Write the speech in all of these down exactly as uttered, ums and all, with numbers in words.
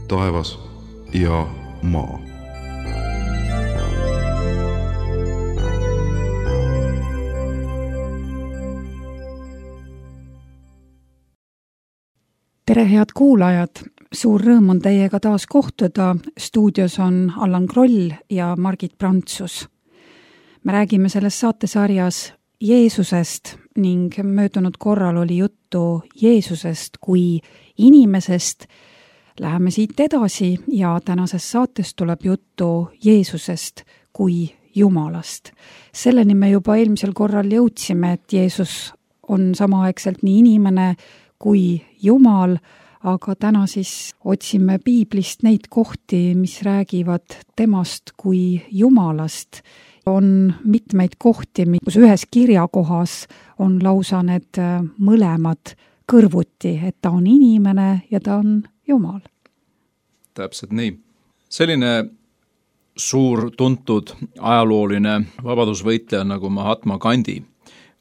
taevas ja maa. Tere, head kuulajad! Suur rõõm on teiega taas kohtuda. Stuudios on Allan Kroll ja Margit Prantsus. Me räägime selles saatesarjas Jeesusest ning möödunud korral oli juttu Jeesusest kui inimesest. Läheme siit edasi ja tänases saates tuleb juttu Jeesusest kui Jumalast. Selleni me juba eelmisel korral jõudsime, et Jeesus on samaaegselt nii inimene kui Jumal, aga täna siis otsime piiblist neid kohti, mis räägivad temast kui Jumalast. On mitmeid kohti, kus ühes kirjakohas on lausa need mõlemad kõrvuti, et ta on inimene ja ta on Jumal. Täpselt nii. Selline suur tuntud ajalooline vabadusvõitleja nagu Mahatma Gandhi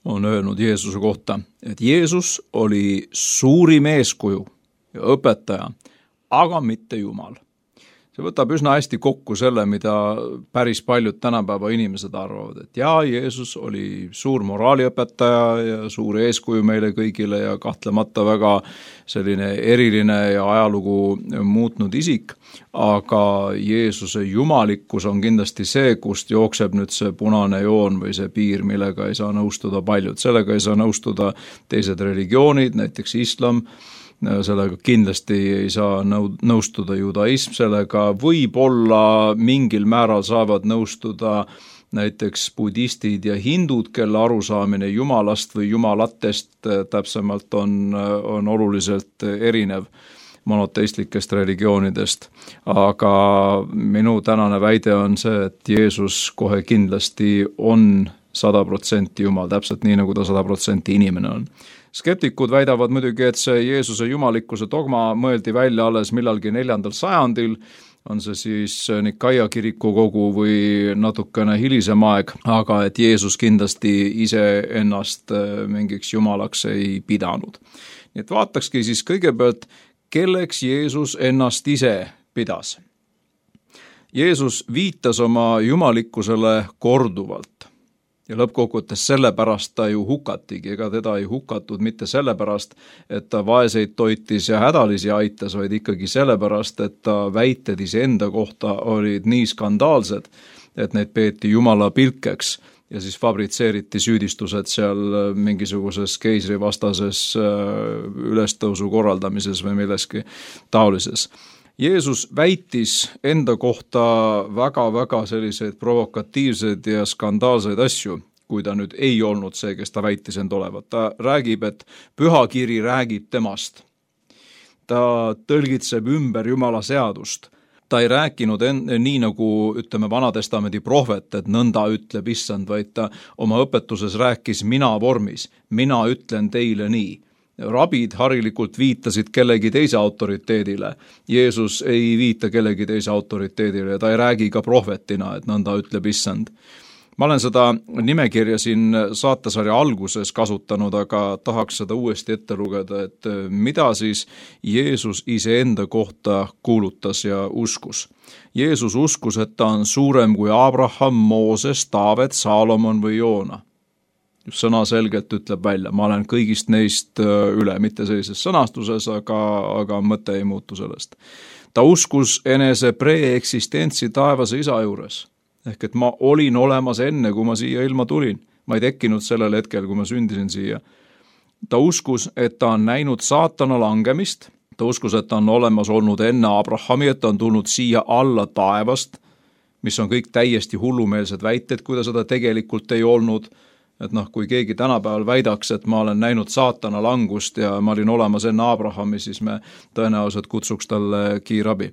on öelnud Jeesuse kohta, et Jeesus oli suurim eeskuju ja õpetaja, aga mitte Jumal. See võtab üsna hästi kokku selle, mida päris paljud tänapäeva inimesed arvavad, et jaa, Jeesus oli suur moraaliõpetaja ja suur eeskuju meile kõigile ja kahtlemata väga selline eriline ja ajalugu muutnud isik, aga Jeesuse jumalikkus on kindlasti see, kust jookseb nüüd see punane joon või see piir, millega ei saa nõustuda paljud. Sellega ei saa nõustuda teised religioonid, näiteks islam, sellega kindlasti ei saa nõustuda judaism, sellega võib-olla mingil määral saavad nõustuda näiteks budistid ja hindud, kelle arusaamine jumalast või jumalatest täpsemalt on, on oluliselt erinev monoteistlikest religioonidest. Aga minu tänane väide on see, et Jeesus kohe kindlasti on sada protsenti Jumal, täpselt nii, nagu ta sada protsenti inimene on. Skeptikud väidavad muidugi, et see Jeesuse jumalikkuse dogma mõeldi välja alles millalgi neljandal sajandil, on see siis Nikaia kirikukogu või natukene hilisem aeg, aga et Jeesus kindlasti ise ennast mingiks jumalaks ei pidanud. Nii et vaatakski siis kõigepealt, kelleks Jeesus ennast ise pidas. Jeesus viitas oma jumalikkusele korduvalt. Ja lõppkokkuvõttes sellepärast ta ju hukatigi, ega teda ei hukatud mitte sellepärast, et ta vaeseid toitis ja hädalisi aitas, vaid ikkagi sellepärast, et ta väited iseenda kohta olid nii skandaalsed, et neid peeti jumala pilkeks ja siis fabritseeriti süüdistused seal mingisuguses keisrivastases ülestõusu korraldamises või milleski taolises. Jeesus väitis enda kohta väga-väga selliseid provokatiivseid ja skandaalseid asju, kui ta nüüd ei olnud see, kes ta väitis end olevat. Ta räägib, et pühakiri räägib temast. Ta tõlgitseb ümber Jumala seadust. Ta ei rääkinud en, nii nagu, ütleme, Vanatestamendi prohvet, et nõnda ütleb issand, vaid ta oma õpetuses rääkis mina vormis. Mina ütlen teile nii. Rabid harilikult viitasid kellegi teise autoriteedile. Jeesus ei viita kellegi teise autoriteedile ja ta ei räägi ka prohvetina, et nõnda ütleb issand. Ma olen seda nimekirja siin saatesarja alguses kasutanud, aga tahaks seda uuesti ette lugeda, et mida siis Jeesus iseenda kohta kuulutas ja uskus. Jeesus uskus, et ta on suurem kui Abraham, Mooses, Taavet, Saalomon või Joona. Sõna selgelt ütleb välja, ma olen kõigist neist üle, mitte sellises sõnastuses, aga, aga mõte ei muutu sellest. Ta uskus enese preeksistentsi taevase isa juures, ehk et ma olin olemas enne, kui ma siia ilma tulin. Ma ei tekkinud sellel hetkel, kui ma sündisin siia. Ta uskus, et ta on näinud saatana langemist, ta uskus, et ta on olemas olnud enne Abrahami, et ta on tulnud siia alla taevast, mis on kõik täiesti hullumeelsed väited, kui ta seda tegelikult ei olnud. Et noh, kui keegi tänapäeval väidaks, et ma olen näinud saatana langust ja ma olin olemas enne Abrahami, siis me tõenäoliselt kutsuks talle kiirabi.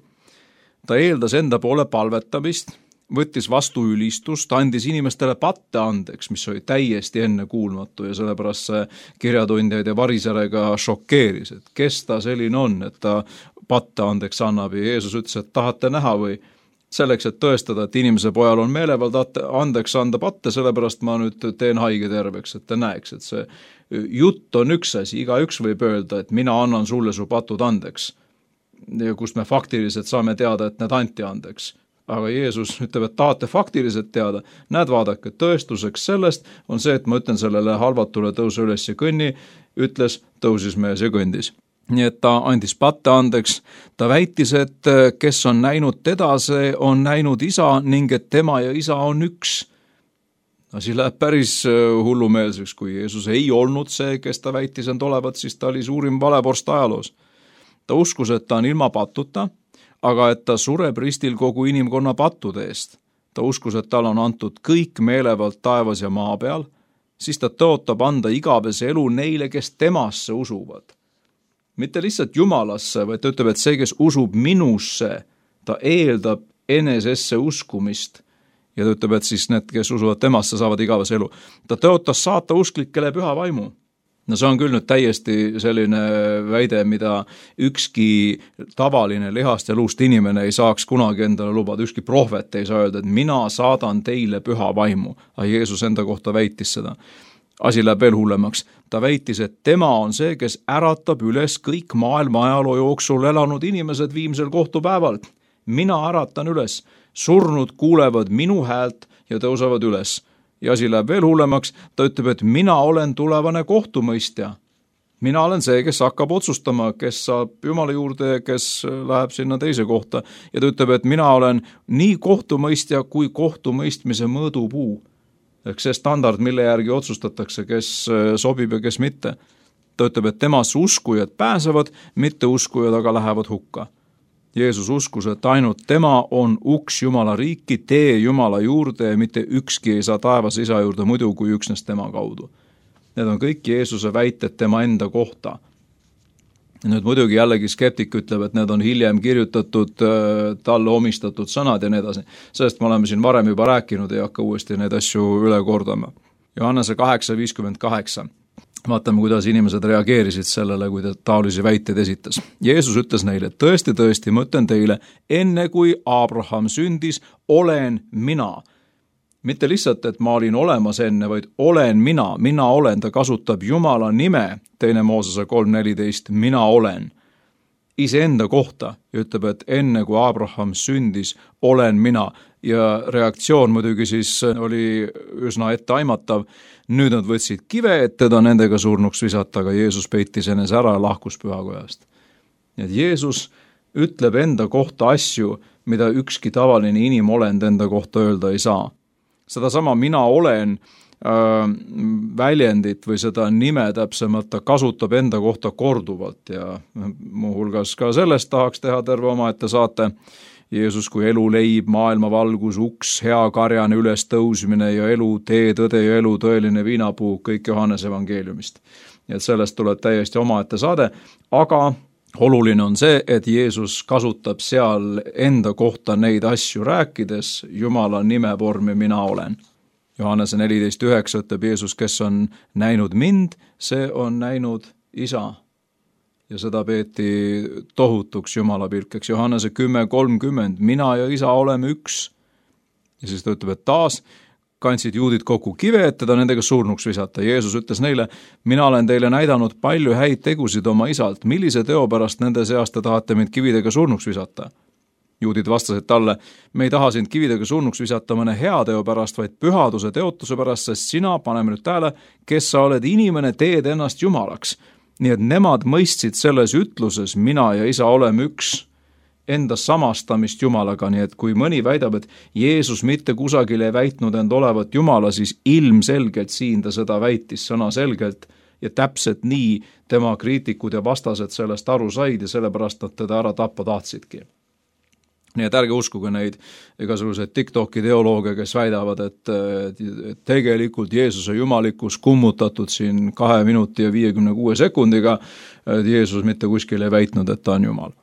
Ta eeldas enda poole palvetamist, võttis vastu ülistust, andis inimestele patte andeks, mis oli täiesti enne kuulmatu ja sellepärast see kirjatundjaid ja variserega šokeeris, et kes ta selline on, et ta patte andeks annab ja Jeesus ütles, et tahate näha või selleks, et tõestada, et inimese pojal on meelevald andeks anda patte, sellepärast ma nüüd teen haige terveks, et ta näeks, et see jutt on üks asi, igaüks võib öelda, et mina annan sulle su patud andeks. kust me faktiliselt saame teada, et need anti andeks. Aga Jeesus ütleb, et tahate faktiliselt teada, näed vaadake, tõestuseks sellest on see, et ma ütlen sellele halvatule tõuse üles ja kõnni, ütles, tõusis mees ja kõndis. Nii et ta andis patte andeks, ta väitis, et kes on näinud teda, see on näinud isa ning et tema ja isa on üks. Asi läheb päris hullumeelseks, kui Jeesus ei olnud see, kes ta väitis end olevat, siis ta oli suurim valevorst ajaloos. Ta uskus, et ta on ilma patuta, aga et ta sureb ristil kogu inimkonna pattude eest. Ta uskus, et tal on antud kõik meelevald taevas ja maa peal, siis ta tõotab anda igavese elu neile, kes temasse usuvad. Mitte lihtsalt Jumalasse, vaid ta ütleb, et see, kes usub minusse, ta eeldab enesesse uskumist. Ja ta ütleb, et siis need, kes usuvad temasse, saavad igavese elu. Ta tõotas saata usklikele püha vaimu. No see on küll nüüd täiesti selline väide, mida ükski tavaline lihast ja luust inimene ei saaks kunagi endale lubada. Ükski prohvet ei saa öelda, et mina saadan teile püha vaimu. Aga Jeesus enda kohta väitis seda. Asi läheb veel hullemaks. Ta väitis, et tema on see, kes äratab üles kõik maailma ajaloo jooksul elanud inimesed viimsel kohtupäeval. Mina äratan üles. Surnud kuulevad minu häält ja tõusevad üles. Ja asi läheb veel hullemaks, ta ütleb, et mina olen tulevane kohtumõistja. Mina olen see, kes hakkab otsustama, kes saab Jumala juurde ja kes läheb sinna teise kohta. Ja ta ütleb, et mina olen nii kohtumõistja kui kohtumõistmise mõõdupuu. Ehk see standard, mille järgi otsustatakse, kes sobib ja kes mitte. Ta ütleb, et temasse uskujad pääsevad, mitte uskujad aga lähevad hukka. Jeesus uskus, et ainult tema on uks Jumala riiki, tee Jumala juurde ja mitte ükski ei saa taevas isa juurde muidu kui üksnes tema kaudu. Need on kõik Jeesuse väited tema enda kohta. Nüüd muidugi jällegi skeptik ütleb, et need on hiljem kirjutatud talle omistatud sõnad ja nii edasi. Sellest me oleme siin varem juba rääkinud, ei hakka uuesti neid asju üle kordama. Johannese kaheksa viiskümmend kaheksa. Vaatame, kuidas inimesed reageerisid sellele, kui ta taolisi väiteid esitas. Jeesus ütles neile, tõesti, tõesti, ma ütlen teile, enne kui Abraham sündis, olen mina. Mitte lihtsalt, et ma olin olemas enne, vaid olen mina, mina olen, ta kasutab Jumala nime, teine Moosese kolm neliteist, mina olen. Iseenda kohta ja ütleb, et enne kui Abraham sündis, olen mina. Ja reaktsioon muidugi siis oli üsna etteaimatav. Nüüd nad võtsid kive, et teda nendega surnuks visata, aga Jeesus peitis enese ära ja lahkus pühakojast. Et Jeesus ütleb enda kohta asju, mida ükski tavaline inimolend enda kohta öelda ei saa. Seda sama mina olen äh, väljendit või seda nime täpsemalt ta kasutab enda kohta korduvalt ja muuhulgas ka sellest tahaks teha terve omaette saate. Jeesus kui elu leib, maailma valgus, uks, hea karjane üles tõusmine ja elu, tee, tõde ja elu, tõeline viinapuu, kõik Johannese evangeeliumist. Ja et sellest tuleb täiesti omaette saade, aga oluline on see, et Jeesus kasutab seal enda kohta neid asju rääkides Jumala nime vormi mina olen. Johannese neliteist üheksa ütleb Jeesus, kes on näinud mind, see on näinud isa. Ja seda peeti tohutuks Jumala pilkeks. Johannese kümme kolmkümmend, mina ja isa oleme üks. Ja siis ta ütleb, et taas kandsid juudid kokku kive, et teda nendega surnuks visata. Jeesus ütles neile, mina olen teile näidanud palju häid tegusid oma isalt. Millise teo pärast nende seast te tahate mind kividega surnuks visata? Juudid vastasid talle, me ei taha sind kividega surnuks visata mõne hea teo pärast, vaid pühaduse teotuse pärast, sest sina, paneme nüüd tähele, kes sa oled inimene, teed ennast Jumalaks. Nii et nemad mõistsid selles ütluses, mina ja isa oleme üks, enda samastamist Jumalaga, nii et kui mõni väidab, et Jeesus mitte kusagil ei väitnud end olevat Jumala, siis ilmselgelt siin ta seda väitis sõna selgelt ja täpselt nii tema kriitikud ja vastased sellest aru said ja sellepärast nad teda ära tappa tahtsidki. Nii et ärge uskuge neid igasuguseid TikToki teolooge, kes väidavad, et, et tegelikult Jeesuse jumalikkus kummutatud siin kahe minuti ja viiekümne kuue sekundiga, et Jeesus mitte kuskil ei väitnud, et ta on Jumal.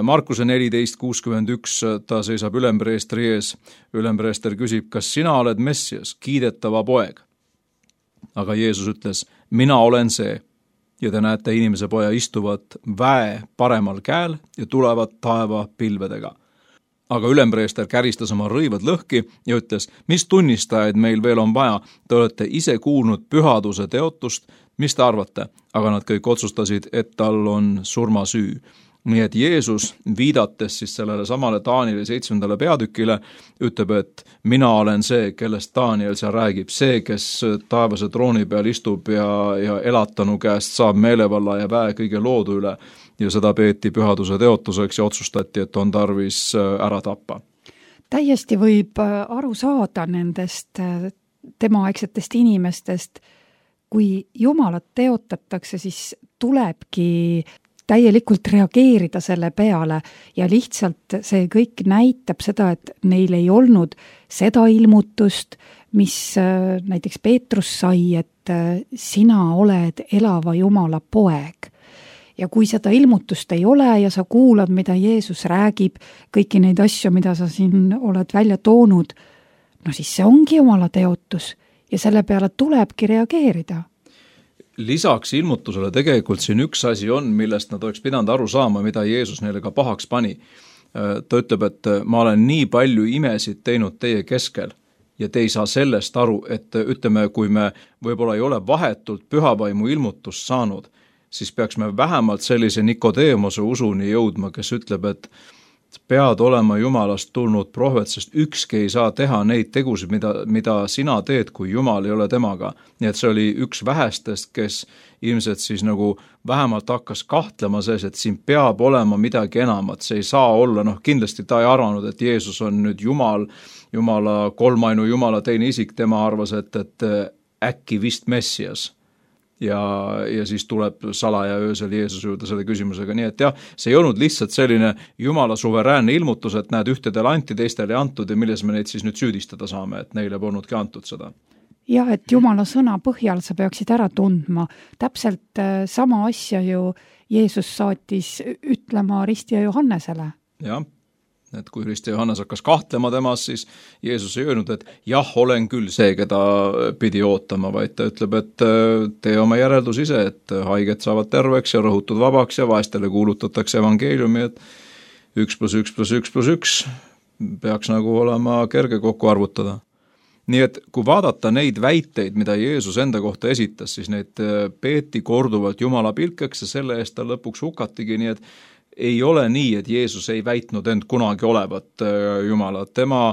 Markuse neliteist kuuskümmend üks, ta seisab ülempreestri ees. Ülempreester küsib, kas sina oled Messias, kiidetava poeg? Aga Jeesus ütles, mina olen see. Ja te näete inimese poja istuvat väe paremal käel ja tulevad taeva pilvedega. Aga ülempreester käristas oma rõivad lõhki ja ütles, mis tunnistajaid meil veel on vaja, te olete ise kuulnud pühaduse teotust, mis te arvate? Aga nad kõik otsustasid, et tal on surmasüü. nii et Jeesus, viidates siis sellele samale Danieli seitsmendale peatükile, ütleb, et mina olen see, kellest Daniel seal räägib, see, kes taevase trooni peal istub ja, ja elatanu käest saab meelevalla ja väe kõige loodu üle ja seda peeti pühaduse teotuseks ja otsustati, et on tarvis ära tappa. Täiesti võib aru saada nendest temaaegsetest inimestest, kui Jumalat teotatakse, siis tulebki täielikult reageerida selle peale ja lihtsalt see kõik näitab seda, et neil ei olnud seda ilmutust, mis näiteks Peetrus sai, et sina oled elava Jumala poeg. Ja kui seda ilmutust ei ole ja sa kuulad, mida Jeesus räägib, kõiki neid asju, mida sa siin oled välja toonud, no siis see ongi Jumala teotus ja selle peale tulebki reageerida. Lisaks ilmutusele tegelikult siin üks asi on, millest nad oleks pidanud aru saama, mida Jeesus neile ka pahaks pani. Ta ütleb, et ma olen nii palju imesid teinud teie keskel ja te ei saa sellest aru, et ütleme, kui me võib-olla ei ole vahetult pühavaimu ilmutust saanud, siis peaks me vähemalt sellise Nikodeemose usuni jõudma, kes ütleb, et pead olema Jumalast tulnud prohvet, sest ükski ei saa teha neid tegusid, mida, mida sina teed, kui Jumal ei ole temaga. Nii et see oli üks vähestest, kes ilmselt siis nagu vähemalt hakkas kahtlema sees, et siin peab olema midagi enamat, see ei saa olla, noh kindlasti ta ei arvanud, et Jeesus on nüüd Jumal, Jumala kolmainu Jumala teine isik, tema arvas, et, et äkki vist Messias. Ja, ja siis tuleb salaja öösel Jeesus juurde selle küsimusega, nii et jah, see ei olnud lihtsalt selline Jumala suveräänne ilmutus, et näed, ühtedele anti, teistele ei antud ja milles me neid siis nüüd süüdistada saame, et neile polnudki antud seda. Ja, et Jumala sõna põhjal sa peaksid ära tundma. Täpselt sama asja ju Jeesus saatis ütlema Risti ja Johannesele. Jah. Et kui Risti Johannes hakkas kahtlema temas, siis Jeesus ei öelnud, et jah, olen küll see, keda pidi ootama, vaid ta ütleb, et tee oma järeldus ise, et haiged saavad terveks ja rõhutud vabaks ja vaestele kuulutatakse evangeeliumi, et üks plus üks plus üks plus üks peaks nagu olema kerge kokku arvutada. Nii et kui vaadata neid väiteid, mida Jeesus enda kohta esitas, siis neid peeti korduvalt Jumala pilkeks ja selle eest ta lõpuks hukatigi, nii et ei ole nii, et Jeesus ei väitnud end kunagi olevat Jumala. Tema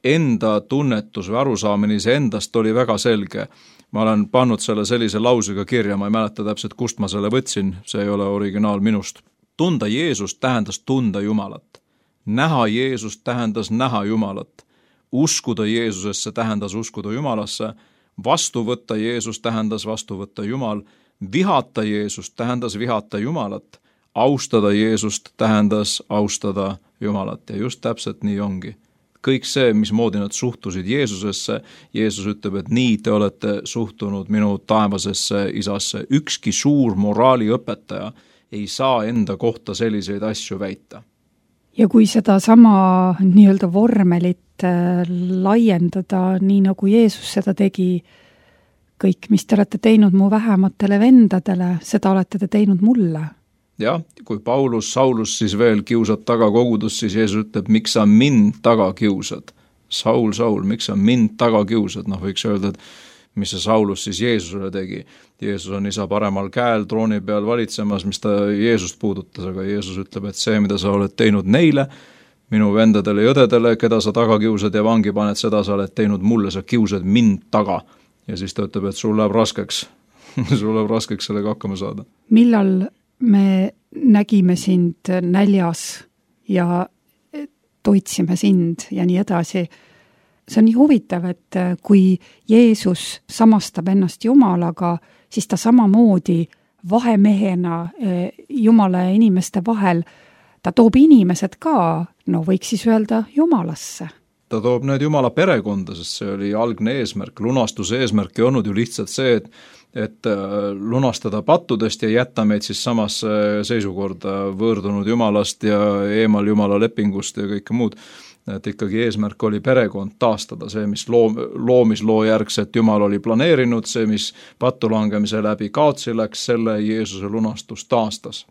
enda tunnetus või arusaamine endast oli väga selge. Ma olen pannud selle sellise lausega kirja, ma ei mäleta täpselt, kust ma selle võtsin, see ei ole originaal minust. Tunda Jeesust tähendas tunda Jumalat. Näha Jeesust tähendas näha Jumalat. Uskuda Jeesusesse tähendas uskuda Jumalasse. Vastu võtta Jeesus tähendas vastu võtta Jumal. Vihata Jeesust tähendas vihata Jumalat. Austada Jeesust tähendas austada Jumalat ja just täpselt nii ongi. Kõik see, mismoodi nad suhtusid Jeesusesse, Jeesus ütleb, et nii te olete suhtunud minu taevasesse isasse. Ükski suur moraaliõpetaja ei saa enda kohta selliseid asju väita. Ja kui seda sama nii-öelda vormelit laiendada, nii nagu Jeesus seda tegi, kõik, mis te olete teinud mu vähematele vendadele, seda olete te teinud mulle. Jah, kui Paulus, Saulus siis veel kiusad taga kogudust, siis Jeesus ütleb, miks sa mind taga kiusad? Saul, Saul, miks sa mind taga kiusad? Noh, võiks öelda, et mis see Saulus siis Jeesusele tegi. Jeesus on isa paremal käel trooni peal valitsemas, mis ta Jeesust puudutas, aga Jeesus ütleb, et see, mida sa oled teinud neile, minu vendadele ja õdedele, keda sa taga kiusad ja vangi paned, seda sa oled teinud mulle, sa kiusad mind taga. Ja siis ta ütleb, et sul läheb raskeks. sul läheb raskeks sellega hakkama saada. Millal me nägime sind näljas ja toitsime sind ja nii edasi. See on nii huvitav, et kui Jeesus samastab ennast Jumalaga, siis ta samamoodi vahemehena Jumala ja inimeste vahel, ta toob inimesed ka, no võiks siis öelda Jumalasse. Ta toob need Jumala perekonda, sest see oli algne eesmärk. Lunastuse eesmärk ei olnud ju lihtsalt see, et et lunastada pattudest ja jätta meid siis samasse seisukorda võõrdunud Jumalast ja eemal Jumala lepingust ja kõike muud. Et ikkagi eesmärk oli perekond taastada, see, mis loom, loomisloo järgset Jumal oli planeerinud, see, mis pattu langemise läbi kaotsi läks, selle Jeesuse lunastus taastas.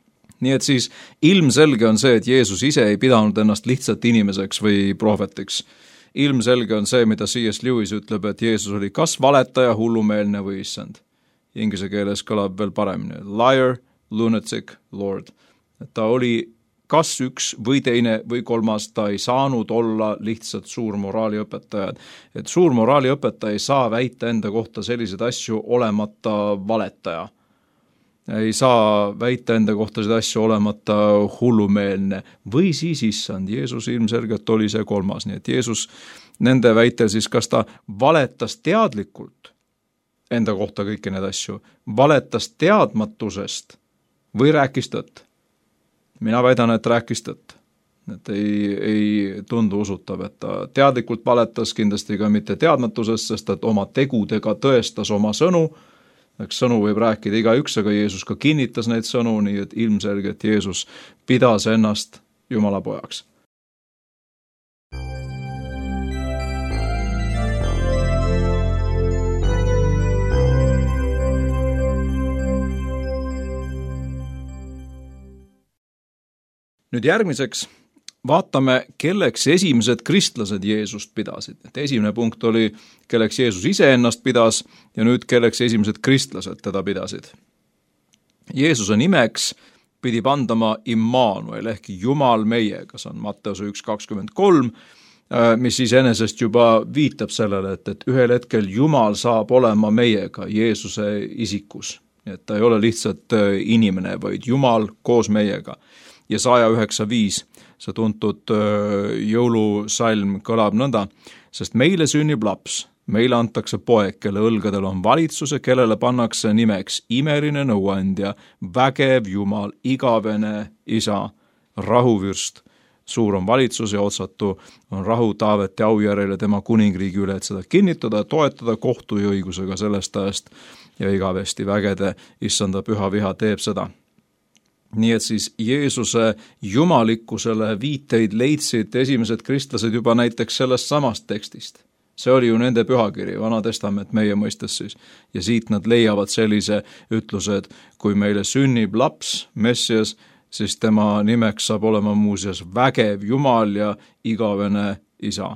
Nii et siis ilmselge on see, et Jeesus ise ei pidanud ennast lihtsalt inimeseks või prohvetiks. Ilmselge on see, mida C S Lewis ütleb, et Jeesus oli kas valetaja, hullumeelne või issand. Inglise keeles kõlab veel paremini. Liar, lunatic, Lord. Et ta oli kas üks või teine või kolmas, ta ei saanud olla lihtsalt suur moraaliõpetaja. Et suur moraaliõpetaja ei saa väita enda kohta selliseid asju olemata valetaja. Ei saa väita enda kohta seda asju olemata hullumeelne või siis issand. Jeesus ilmselgelt oli see kolmas, nii et Jeesus nende väitel siis kas ta valetas teadlikult enda kohta kõiki need asju, valetas teadmatusest või rääkis tõtt. Mina väidan, et rääkis tõtt. Et ei, ei tundu usutav, et ta teadlikult valetas, kindlasti ka mitte teadmatusest, sest et oma tegudega tõestas oma sõnu. Eks sõnu võib rääkida igaüks, aga Jeesus ka kinnitas neid sõnu, nii et ilmselgelt Jeesus pidas ennast Jumala pojaks. Nüüd järgmiseks vaatame, kelleks esimesed kristlased Jeesust pidasid. Et esimene punkt oli, kelleks Jeesus ise ennast pidas ja nüüd kelleks esimesed kristlased teda pidasid. Jeesuse nimeks pidi pandama Immanuel ehk Jumal meiega, see on Matteuse üks kakskümmend kolm, mis iseenesest juba viitab sellele, et, et ühel hetkel Jumal saab olema meiega Jeesuse isikus. Et ta ei ole lihtsalt inimene, vaid Jumal koos meiega. Ja saja üheksa viis, see tuntud jõulusalm kõlab nõnda, sest meile sünnib laps, meile antakse poeg, kelle õlgadel on valitsus ja kellele pannakse nimeks imeline nõuandja, vägev Jumal, igavene isa, rahuvürst. Suur on valitsus ja otsatu on rahu Taaveti aujärjel ja tema kuningriigi üle, et seda kinnitada, toetada kohtu ja õigusega sellest ajast ja igavesti vägede issanda püha viha teeb seda. Nii et siis Jeesuse jumalikkusele viiteid leidsid esimesed kristlased juba näiteks sellest samast tekstist. See oli ju nende pühakiri, Vana Testament meie mõistes siis. Ja siit nad leiavad sellise ütluse, et kui meile sünnib laps, Messias, siis tema nimeks saab olema muuseas vägev Jumal ja igavene isa.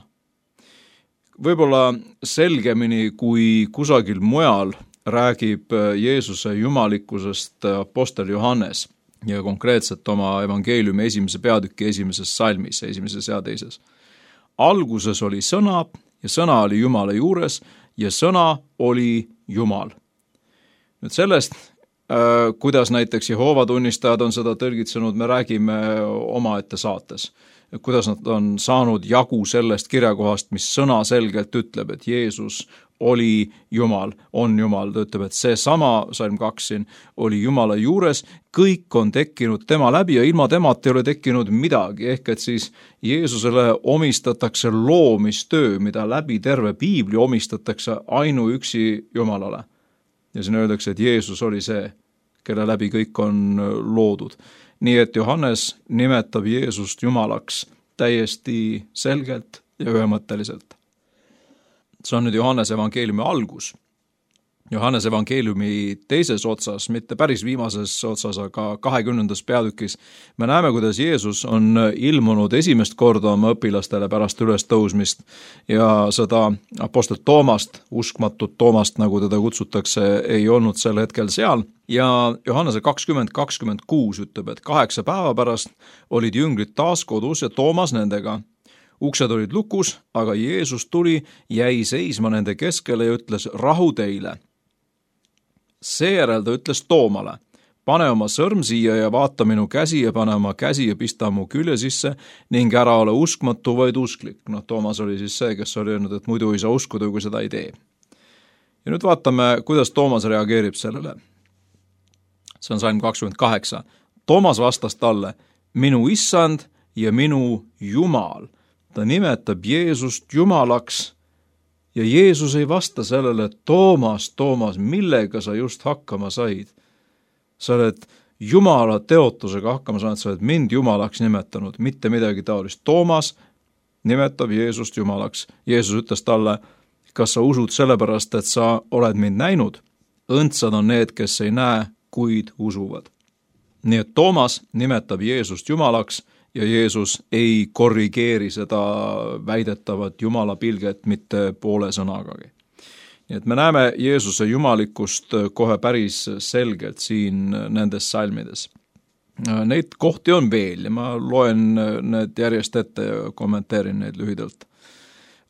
Võib-olla selgemini kui kusagil mujal räägib Jeesuse jumalikkusest apostel Johannes ja konkreetselt oma evangeeliumi esimese peatüki esimeses salmis, esimeses ja teises. Alguses oli sõna ja sõna oli Jumala juures ja sõna oli Jumal. Nüüd sellest, kuidas näiteks Jehoova tunnistajad on seda tõlgitsenud, me räägime omaette saates. Kuidas nad on saanud jagu sellest kirjakohast, mis sõna selgelt ütleb, et Jeesus oli Jumal, on Jumal. Ta ütleb, et see sama, salm kaks siin, oli Jumala juures, kõik on tekkinud tema läbi ja ilma temat ei ole tekkinud midagi, ehk et siis Jeesusele omistatakse loomistöö, mida läbi terve piibli omistatakse ainuüksi Jumalale. Ja siin öeldakse, et Jeesus oli see, kelle läbi kõik on loodud. Nii et Johannes nimetab Jeesust Jumalaks täiesti selgelt ja ühemõtteliselt. See on nüüd Johannes evangeeliumi algus. Johannes evangeeliumi teises otsas, mitte päris viimases otsas, aga kahekümnendas peatükis, me näeme, kuidas Jeesus on ilmunud esimest korda oma õpilastele pärast ülestõusmist ja seda apostel Toomast, uskmatut Toomast, nagu teda kutsutakse, ei olnud sel hetkel seal. Ja Johannese kakskümmend kakskümmend kuus ütleb, et kaheksa päeva pärast olid jüngrid taas kodus ja Toomas nendega. Uksed olid lukus, aga Jeesus tuli, jäi seisma nende keskele ja ütles rahu teile. Seejärel ta ütles Toomale, pane oma sõrm siia ja vaata minu käsi ja pane oma käsi ja pista mu külje sisse ning ära ole uskmatu, vaid usklik. No Toomas oli siis see, kes oli öelnud, et muidu ei saa uskuda, kui seda ei tee. Ja nüüd vaatame, kuidas Toomas reageerib sellele. See on salm kakskümmend kaheksa. Toomas vastas talle, minu issand ja minu Jumal. Ta nimetab Jeesust Jumalaks ja Jeesus ei vasta sellele, Toomas, Toomas, millega sa just hakkama said? Sa oled Jumala teotusega hakkama saanud, sa oled mind Jumalaks nimetanud, mitte midagi taolist. Toomas nimetab Jeesust Jumalaks. Jeesus ütles talle, kas sa usud sellepärast, et sa oled mind näinud? Õndsad on need, kes ei näe, kuid usuvad. Nii et Toomas nimetab Jeesust Jumalaks ja Jeesus ei korrigeeri seda väidetavat Jumala pilget mitte poole sõnagagi. Nii et me näeme Jeesuse jumalikkust kohe päris selgelt siin nendes salmides. Neid kohti on veel ja ma loen need järjest ette ja kommenteerin neid lühidalt.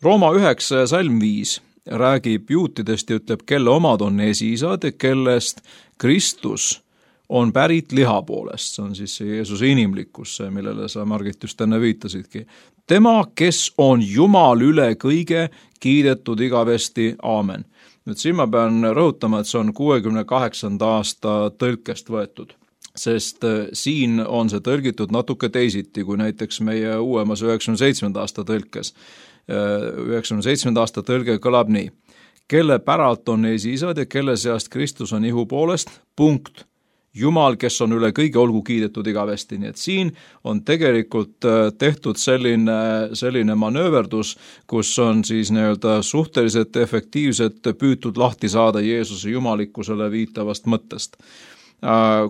Rooma üheksa ja salm viis räägib juutidest ja ütleb, kelle omad on esiisad ja kellest Kristus on pärit liha poolest. See on siis see Jeesuse inimlikkus, millele sa, Margit, just enne viitasidki. Tema, kes on Jumal üle kõige, kiidetud igavesti, aamen. Nüüd siin ma pean rõhutama, et see on kuuekümne kaheksanda aasta tõlkest võetud. Sest siin on see tõlgitud natuke teisiti kui näiteks meie uuemas üheksakümne seitsmenda aasta tõlkes. üheksakümne seitsmenda aasta tõlge kõlab nii. Kelle päralt on esiisad ja kelle seast Kristus on ihu poolest, punkt. Jumal, kes on üle kõige, olgu kiidetud igavesti. Nii et siin on tegelikult tehtud selline, selline manööverdus, kus on siis nii-öelda suhteliselt efektiivselt püütud lahti saada Jeesuse jumalikkusele viitavast mõttest.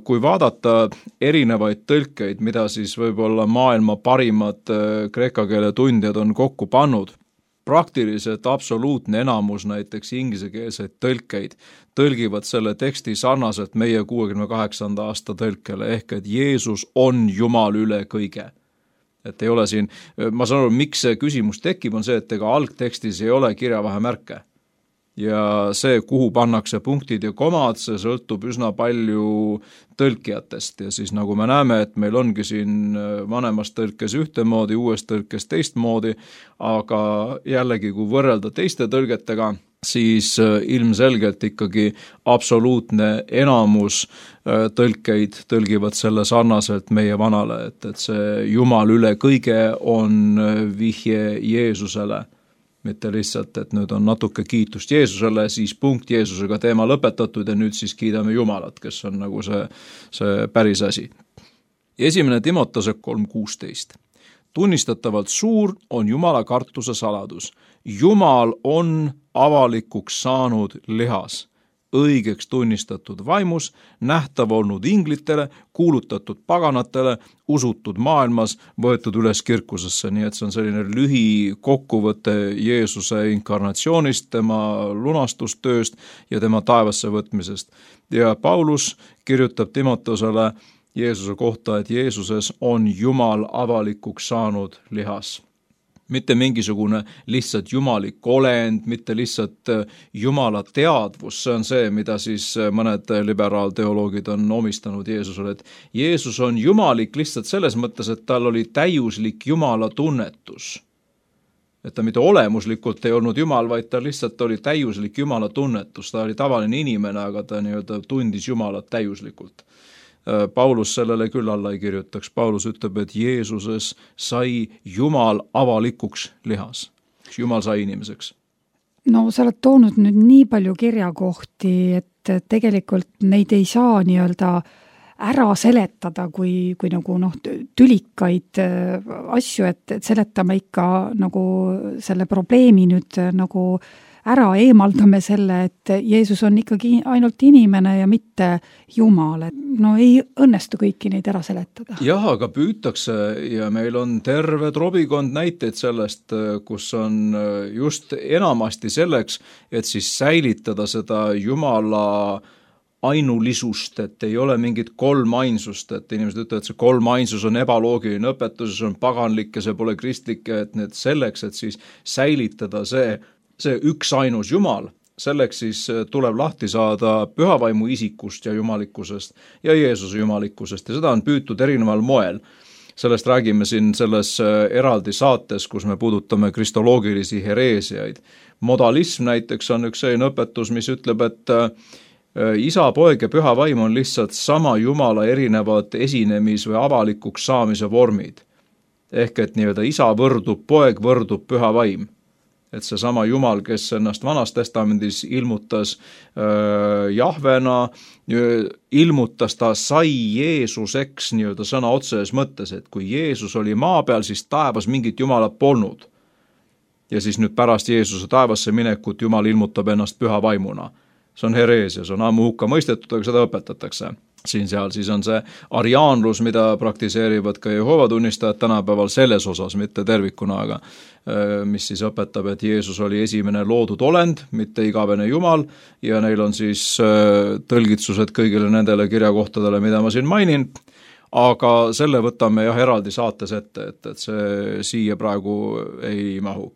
Kui vaadata erinevaid tõlkeid, mida siis võib-olla maailma parimad kreeka keele tundjad on kokku pannud, praktiliselt absoluutne enamus näiteks ingliskeelseid tõlkeid tõlgivad selle teksti sarnaselt meie kuuekümne kaheksanda aasta tõlkele, ehk et Jeesus on Jumal üle kõige. Et ei ole siin, ma saan aru, miks see küsimus tekib, on see, et ega algtekstis ei ole kirjavahemärke. Ja see, kuhu pannakse punktid ja komad, see sõltub üsna palju tõlkijatest ja siis nagu me näeme, et meil ongi siin vanemas tõlkes ühtemoodi, uues tõlkes teistmoodi, aga jällegi, kui võrrelda teiste tõlgetega, siis ilmselgelt ikkagi absoluutne enamus tõlkeid tõlgivad selle sarnaselt meie vanale, et, et see Jumal üle kõige on vihje Jeesusele. Mitte lihtsalt, et nüüd on natuke kiitust Jeesusele, siis punkt Jeesusega teema lõpetatud ja nüüd siis kiidame Jumalat, kes on nagu see, see päris asi. Esimene Timotose kolm kuusteist. Tunnistatavalt suur on Jumala kartuse saladus. Jumal on avalikuks saanud lihas, õigeks tunnistatud vaimus, nähtav olnud inglitele, kuulutatud paganatele, usutud maailmas, võetud üles kirkusesse, nii et see on selline lühi kokkuvõte Jeesuse inkarnatsioonist, tema lunastustööst ja tema taevasse võtmisest. Ja Paulus kirjutab Timotosele Jeesuse kohta, et Jeesuses on Jumal avalikuks saanud lihas. Mitte mingisugune lihtsalt jumalik olend, mitte lihtsalt Jumala teadvus, see on see, mida siis mõned liberaalteoloogid on omistanud Jeesusele, et Jeesus on jumalik lihtsalt selles mõttes, et tal oli täiuslik Jumala tunnetus. Et ta mitte olemuslikult ei olnud Jumal, vaid ta lihtsalt oli täiuslik Jumala tunnetus, ta oli tavaline inimene, aga ta nii-öelda tundis Jumalat täiuslikult. Paulus sellele küll alla ei kirjutaks. Paulus ütleb, et Jeesuses sai Jumal avalikuks lihas. Jumal sai inimeseks. No sa oled toonud nüüd nii palju kirjakohti, et tegelikult neid ei saa nii-öelda ära seletada kui, kui nagu noh, tülikaid asju, et, et seletame ikka nagu selle probleemi nüüd nagu ära eemaldame selle, et Jeesus on ikkagi ainult inimene ja mitte Jumal. No ei õnnestu kõiki neid ära seletada. Jah, aga püütakse ja meil on terve trobikond näiteid sellest, kus on just enamasti selleks, et siis säilitada seda Jumala ainulisust, et ei ole mingit kolm ainsust, et inimesed ütlevad, et see kolm ainsus on ebaloogiline õpetus, see on paganlik ja see pole kristlik, et need selleks, et siis säilitada see see üks ainus Jumal, selleks siis tuleb lahti saada pühavaimu isikust ja jumalikkusest ja Jeesuse jumalikkusest ja seda on püütud erineval moel. Sellest räägime siin selles eraldi saates, kus me puudutame kristoloogilisi hereesiaid. Modalism näiteks on üks selline õpetus, mis ütleb, et isa, poeg ja püha vaim on lihtsalt sama Jumala erinevad esinemis- või avalikuks saamise vormid. Ehk et nii-öelda isa võrdub, poeg võrdub, püha vaim. Et see sama Jumal, kes ennast Vanas testamendis ilmutas äh, Jahvena, ilmutas ta sai Jeesuseks nii-öelda sõna otseses mõttes, et kui Jeesus oli maa peal, siis taevas mingit Jumalat polnud. Ja siis nüüd pärast Jeesuse taevasse minekut Jumal ilmutab ennast püha vaimuna. See on hereesia, see on ammu hukka mõistetud, aga seda õpetatakse. Siin seal siis on see ariaanlus, mida praktiseerivad ka Jehoova tunnistajad tänapäeval selles osas, mitte tervikuna, aga mis siis õpetab, et Jeesus oli esimene loodud olend, mitte igavene Jumal, ja neil on siis tõlgitsused kõigile nendele kirjakohtadele, mida ma siin mainin. aga selle võtame jah eraldi saates ette, et, et see siia praegu ei mahu.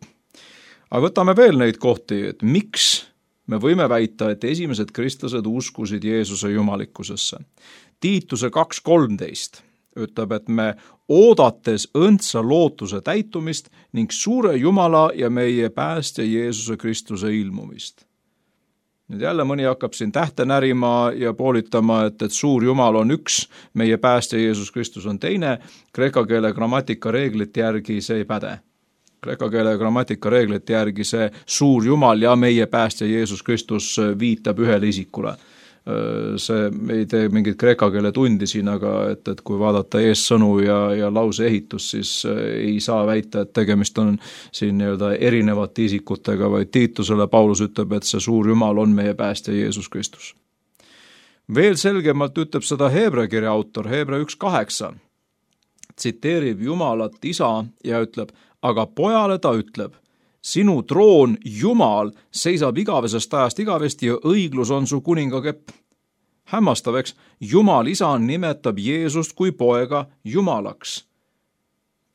Aga võtame veel neid kohti, et miks me võime väita, et esimesed kristlased uskusid Jeesuse jumalikkusesse. Tiituse kaks kolmteist ütleb, et me oodates õndsa lootuse täitumist ning suure Jumala ja meie päästja Jeesuse Kristuse ilmumist. Nüüd jälle mõni hakkab siin tähte närima ja poolitama, et, et suur Jumal on üks, meie päästja Jeesus Kristus on teine. Kreeka keele grammatika reeglite järgi see ei päde. Kreeka keele grammatika reeglite järgi see suur Jumal ja meie päästja Jeesus Kristus viitab ühele isikule. See ei tee mingit kreeka keele tundi siin, aga et, et kui vaadata eessõnu ja, ja lause ehitus, siis ei saa väita, et tegemist on siin nii-öelda erinevate isikutega, vaid Tiitusele Paulus ütleb, et see suur Jumal on meie päästja Jeesus Kristus. Veel selgemalt ütleb seda Heebra kirja autor, Heebra üks kaheksa, tsiteerib Jumalat isa ja ütleb, aga pojale ta ütleb, sinu troon, Jumal, seisab igavesest ajast igavesti ja õiglus on su kuningakepp. Hämmastav, eks, Jumal isa nimetab Jeesust kui poega Jumalaks.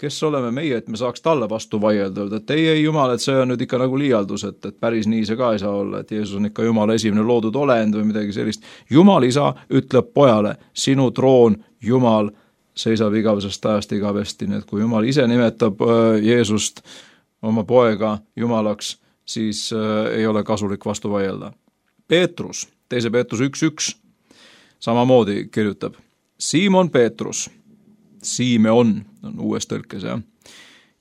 Kes oleme meie, et me saaks talle vastu vaielda, et ei, ei Jumal, et see on nüüd ikka nagu liialdus, et, et päris nii see ka ei saa olla, et Jeesus on ikka Jumala esimene loodud olend või midagi sellist. Jumal isa ütleb pojale, sinu troon, Jumal, seisab igavesest ajast igavesti, nii et kui Jumal ise nimetab Jeesust oma poega Jumalaks, siis äh, ei ole kasulik vastu vaielda. Peetrus, teise Peetrus üks üks, samamoodi kirjutab, Siimon Peetrus, Simeon on uues tõlkes, jah.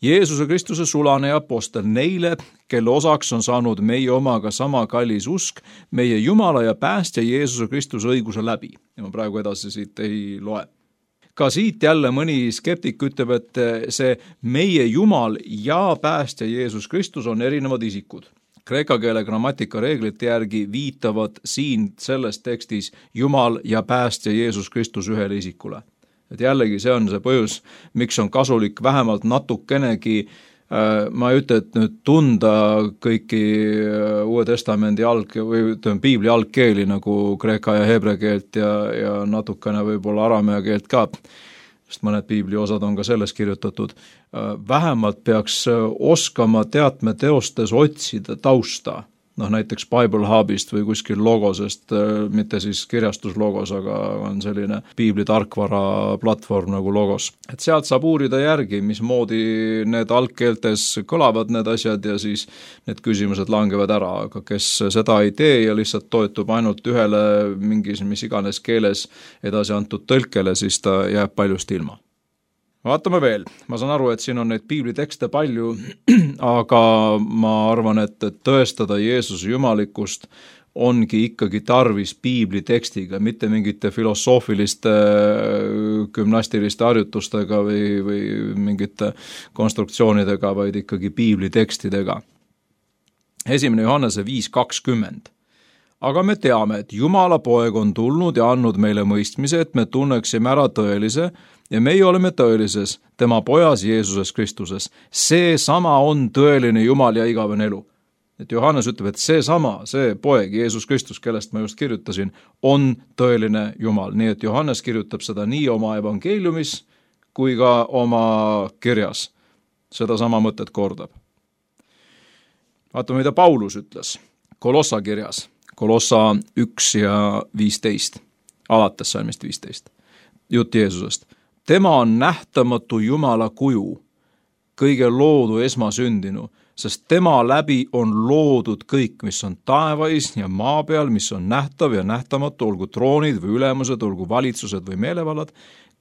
Jeesuse Kristuse sulane ja apostel neile, kelle osaks on saanud meie omaga sama kallis usk, meie Jumala ja päästja Jeesuse Kristuse õiguse läbi. Ja ma praegu edasi siit ei loe. Ka siit jälle mõni skeptik ütleb, et see meie Jumal ja päästja Jeesus Kristus on erinevad isikud. Kreeka keele grammatika reeglite järgi viitavad siin selles tekstis Jumal ja päästja Jeesus Kristus ühele isikule. Et jällegi see on see põhjus, miks on kasulik vähemalt natukenegi, ma ei ütle, et nüüd tunda kõiki Uue Testamendi alg- või ütleme, piibli algkeeli nagu kreeka ja heebrea keelt ja, ja natukene võib-olla aramea keelt ka, sest mõned piibli osad on ka selles kirjutatud. Vähemalt peaks oskama teatme teostes otsida tausta, noh näiteks Bible Hubist või kuskil logosest, mitte siis kirjastuslogos, aga on selline piibli tarkvara platvorm nagu logos. Et sealt saab uurida järgi, mismoodi need algkeeltes kõlavad need asjad ja siis need küsimused langevad ära, aga kes seda ei tee ja lihtsalt toetub ainult ühele mingis, mis iganes keeles edasi antud tõlkele, siis ta jääb paljust ilma. Vaatame veel, ma saan aru, et siin on neid piiblitekste palju, aga ma arvan, et, et tõestada Jeesuse jumalikkust ongi ikkagi tarvis piiblitekstiga, mitte mingite filosoofiliste gümnastiliste harjutustega või, või mingite konstruktsioonidega, vaid ikkagi piiblitekstidega. Esimene Johannese viis kakskümmend. Aga me teame, et Jumala poeg on tulnud ja andnud meile mõistmise, et me tunneksime ära tõelise ja meie oleme tõelises, tema pojas Jeesuses Kristuses. See sama on tõeline Jumal ja igavene elu. Et Johannes ütleb, et see sama, see poeg Jeesus Kristus, kellest ma just kirjutasin, on tõeline Jumal. Nii et Johannes kirjutab seda nii oma evangeeliumis kui ka oma kirjas. Seda sama mõtet kordab. Vaatame, mida Paulus ütles Kolossa kirjas. Kolossa üks ja viisteist, alates salmist viisteist. Jutt Jeesusest. Tema on nähtamatu Jumala kuju, kõige loodu esmasündinu, sest tema läbi on loodud kõik, mis on taevais ja maa peal, mis on nähtav ja nähtamatu, olgu troonid või ülemused, olgu valitsused või meelevallad,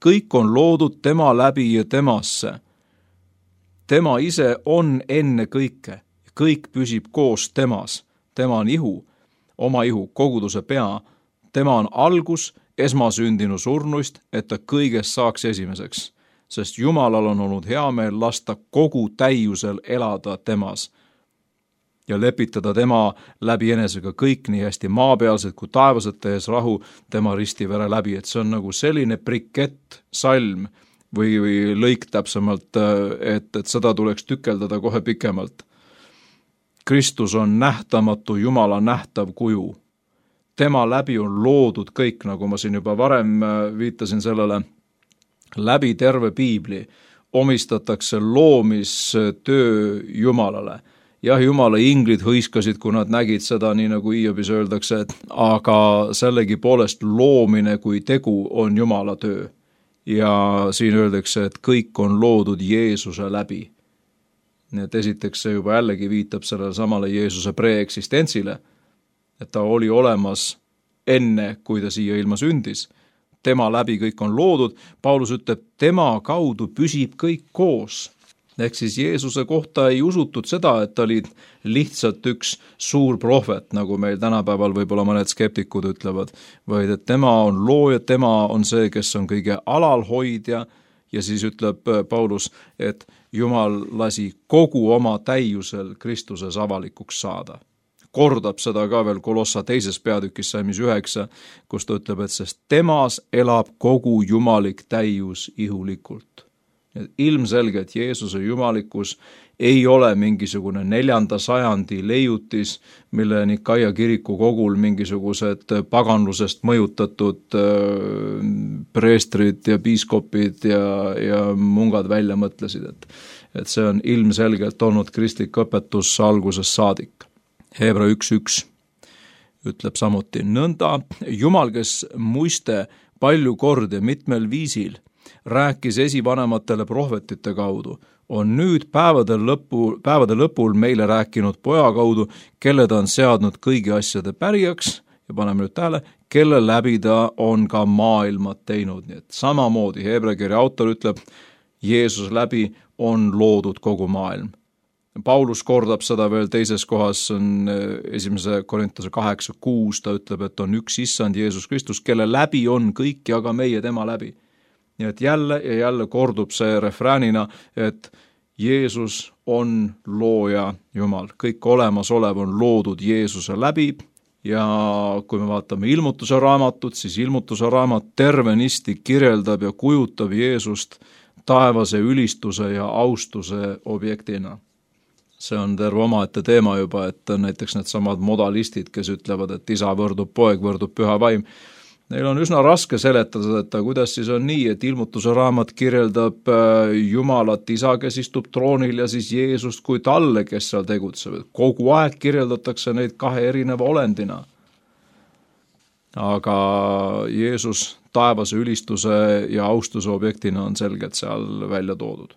kõik on loodud tema läbi ja temasse. Tema ise on enne kõike, kõik püsib koos temas, tema on ihu, oma ihu, koguduse pea, tema on algus, esmasündinu surnuist, et ta kõigest saaks esimeseks, sest Jumalal on olnud hea meel lasta kogu täiusel elada temas ja lepitada tema läbi enesega kõik nii hästi maapealsed kui taevased tehes rahu tema ristivere läbi, et see on nagu selline brikett salm või, või lõik täpsemalt, et, et seda tuleks tükeldada kohe pikemalt. Kristus on nähtamatu Jumala nähtav kuju. Tema läbi on loodud kõik, nagu ma siin juba varem viitasin sellele, läbi terve piibli omistatakse loomistöö Jumalale. Jah, Jumala inglid hõiskasid, kui nad nägid seda, nii nagu Hiiobis öeldakse, et aga sellegi poolest loomine kui tegu on Jumala töö. Ja siin öeldakse, et kõik on loodud Jeesuse läbi. Nii et esiteks see juba jällegi viitab sellele samale Jeesuse preeksistentsile, et ta oli olemas enne, kui ta siia ilma sündis. Tema läbi kõik on loodud. Paulus ütleb, tema kaudu püsib kõik koos. Ehk siis Jeesuse kohta ei usutud seda, et ta oli lihtsalt üks suur prohvet, nagu meil tänapäeval võib-olla mõned skeptikud ütlevad, vaid et tema on looja, tema on see, kes on kõige alalhoidja, ja siis ütleb Paulus, et Jumal lasi kogu oma täiusel Kristuses avalikuks saada. Kordab seda ka veel Kolossa teises peatükis salmis üheksa, kus ta ütleb, et sest temas elab kogu jumalik täius ihulikult. Ilmselgelt Jeesuse jumalikkus ei ole mingisugune neljanda sajandi leiutis, mille Nikaia kiriku kogul mingisugused paganlusest mõjutatud preestrid ja piiskopid ja, ja mungad välja mõtlesid, et, et see on ilmselgelt olnud kristlik õpetus algusest saadik. Hebra üks üks ütleb samuti, nõnda Jumal, kes muiste palju kordi mitmel viisil rääkis esivanematele prohvetite kaudu, on nüüd päevade, lõpu, päevade lõpul meile rääkinud poja kaudu, kelle ta on seadnud kõigi asjade pärijaks, ja paneme nüüd tähele, kelle läbi ta on ka maailmat teinud. Nii et samamoodi Hebra kirja autor ütleb, Jeesus läbi on loodud kogu maailm. Paulus kordab seda veel teises kohas, on esimese Korintuse kaheksa kuus, ta ütleb, et on üks issand Jeesus Kristus, kelle läbi on kõik ja ka meie tema läbi. Nii et jälle ja jälle kordub see refräänina, et Jeesus on looja Jumal. Kõik olemasolev on loodud Jeesuse läbi ja kui me vaatame ilmutuse raamatut, siis ilmutuse raamat tervenisti kirjeldab ja kujutab Jeesust taevase ülistuse ja austuse objektina. See on terve omaette teema juba, et näiteks need samad modalistid, kes ütlevad, et isa võrdub poeg, võrdub püha vaim. Neil on üsna raske seletada, et kuidas siis on nii, et ilmutuse raamat kirjeldab Jumalat isa, kes istub troonil ja siis Jeesust kui talle, kes seal tegutseb. Kogu aeg kirjeldatakse neid kahe erineva olendina. Aga Jeesus taevase ülistuse ja austuse objektina on selgelt seal välja toodud.